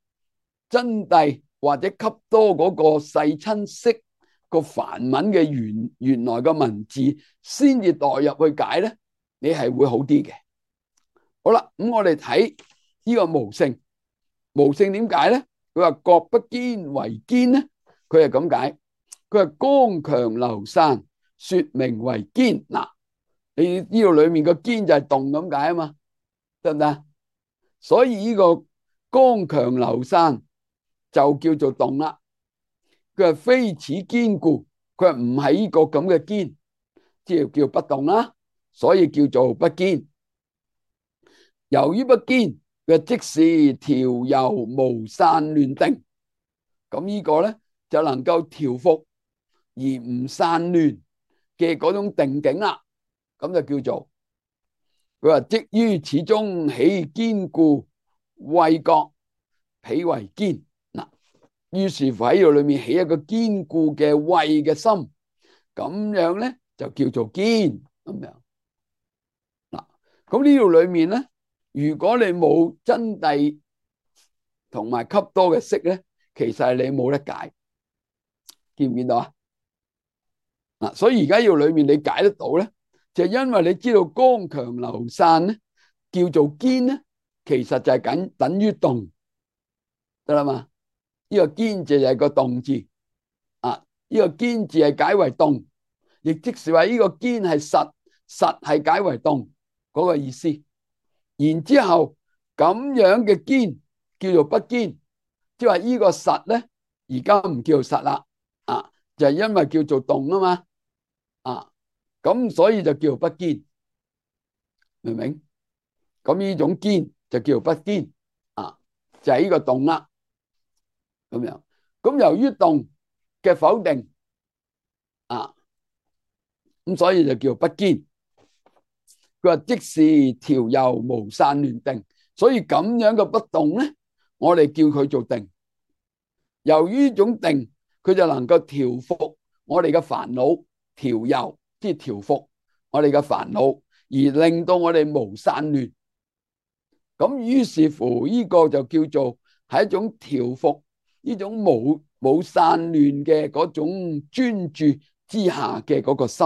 真諦或者笈多嗰個世親釋個梵文嘅原原來嘅文字，先至代入去解咧，你係會好啲嘅。好啦，咁我哋睇呢個無性，無性點解咧？佢話覺不堅為堅咧，佢係咁解。佢話剛強流散，說名為堅。嗱，你呢度裏面個堅就係動咁解啊嘛，得唔得？所以呢個剛強流散就叫做動啦。佢話非此堅故，佢話唔係呢個咁嘅堅，即係叫不動啦，所以叫做不堅。由於不堅，佢即是調柔無散亂定，咁呢個咧就能夠調伏而唔散亂嘅嗰種定境啦，咁就叫做佢話即於此中起堅固慧覺，彼為堅。嗱，於是乎喺度裏面起一個堅固嘅慧嘅心，咁樣咧就叫做堅咁樣。嗱，咁呢度裏面咧，如果你冇真諦同埋笈多嘅釋咧，其實係你冇得解，見唔見到啊？嗱，所以而家要裏面你解得到咧，就因為你知道剛強流散咧，叫做堅咧，其實就係緊等於動，得啦嘛？呢個堅字就係個動字啊，呢個堅字係解為動，亦即是話呢個堅係實，實係解為動嗰個意思。然之後咁樣嘅堅叫做不堅，即係話呢個實咧，而家唔叫做實啦，啊，就係因為叫做動啊嘛，啊，咁所以就叫做不堅，明唔明？咁呢種堅就叫做不堅，啊，就係呢個動啦，咁樣。咁由於動嘅否定，啊，咁所以就叫做不堅。佢話即是調柔無散亂定，所以咁樣嘅不動咧，我哋叫佢做定。由於呢種定，佢就能夠調伏我哋嘅煩惱，調柔即係調伏我哋嘅煩惱，而令到我哋無散亂。咁於是乎呢個就叫做係一種調伏呢種冇冇散亂嘅嗰種專注之下嘅嗰個心。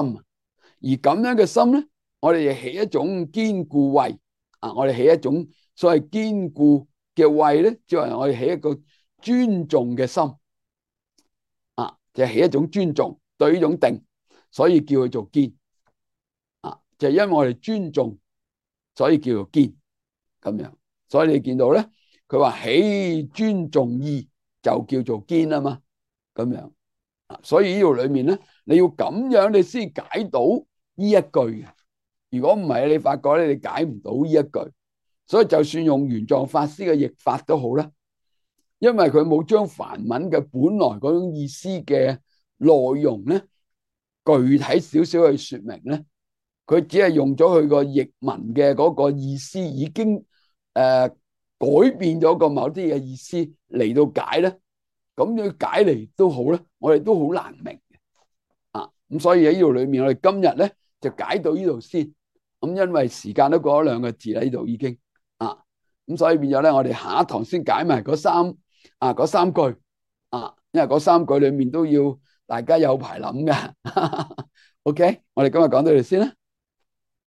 而咁樣嘅心咧，我哋亦起一種堅固慧啊！我哋起一種所謂堅固嘅慧咧，即係我哋起一個尊重嘅心啊，就係起一種尊重對呢種定。所以叫佢做堅啊，就係因為我哋尊重，所以叫做堅咁樣。所以你見到咧，佢話起尊重義就叫做堅啊嘛，咁樣啊。所以呢度裏面咧，你要咁樣你先解到呢一句嘅。如果唔係，你發覺咧，你解唔到呢一句。所以就算用玄奘法師嘅譯法都好啦，因為佢冇將梵文嘅本來嗰種意思嘅內容咧，具體少少去說明咧，佢只係用咗佢個譯文嘅嗰個意思，已經誒、呃、改變咗個某啲嘅意思嚟到解咧，咁樣解嚟都好咧，我哋都好難明嘅啊。咁所以喺呢度裏面，我哋今日咧就解到呢度先。咁因為時間都過咗兩個字啦，呢度已經啊，咁所以變咗咧，我哋下一堂先解埋嗰三啊嗰三句啊，因為嗰三句裏面都要大家有排諗㗎。OK，我哋今日講到呢度先啦。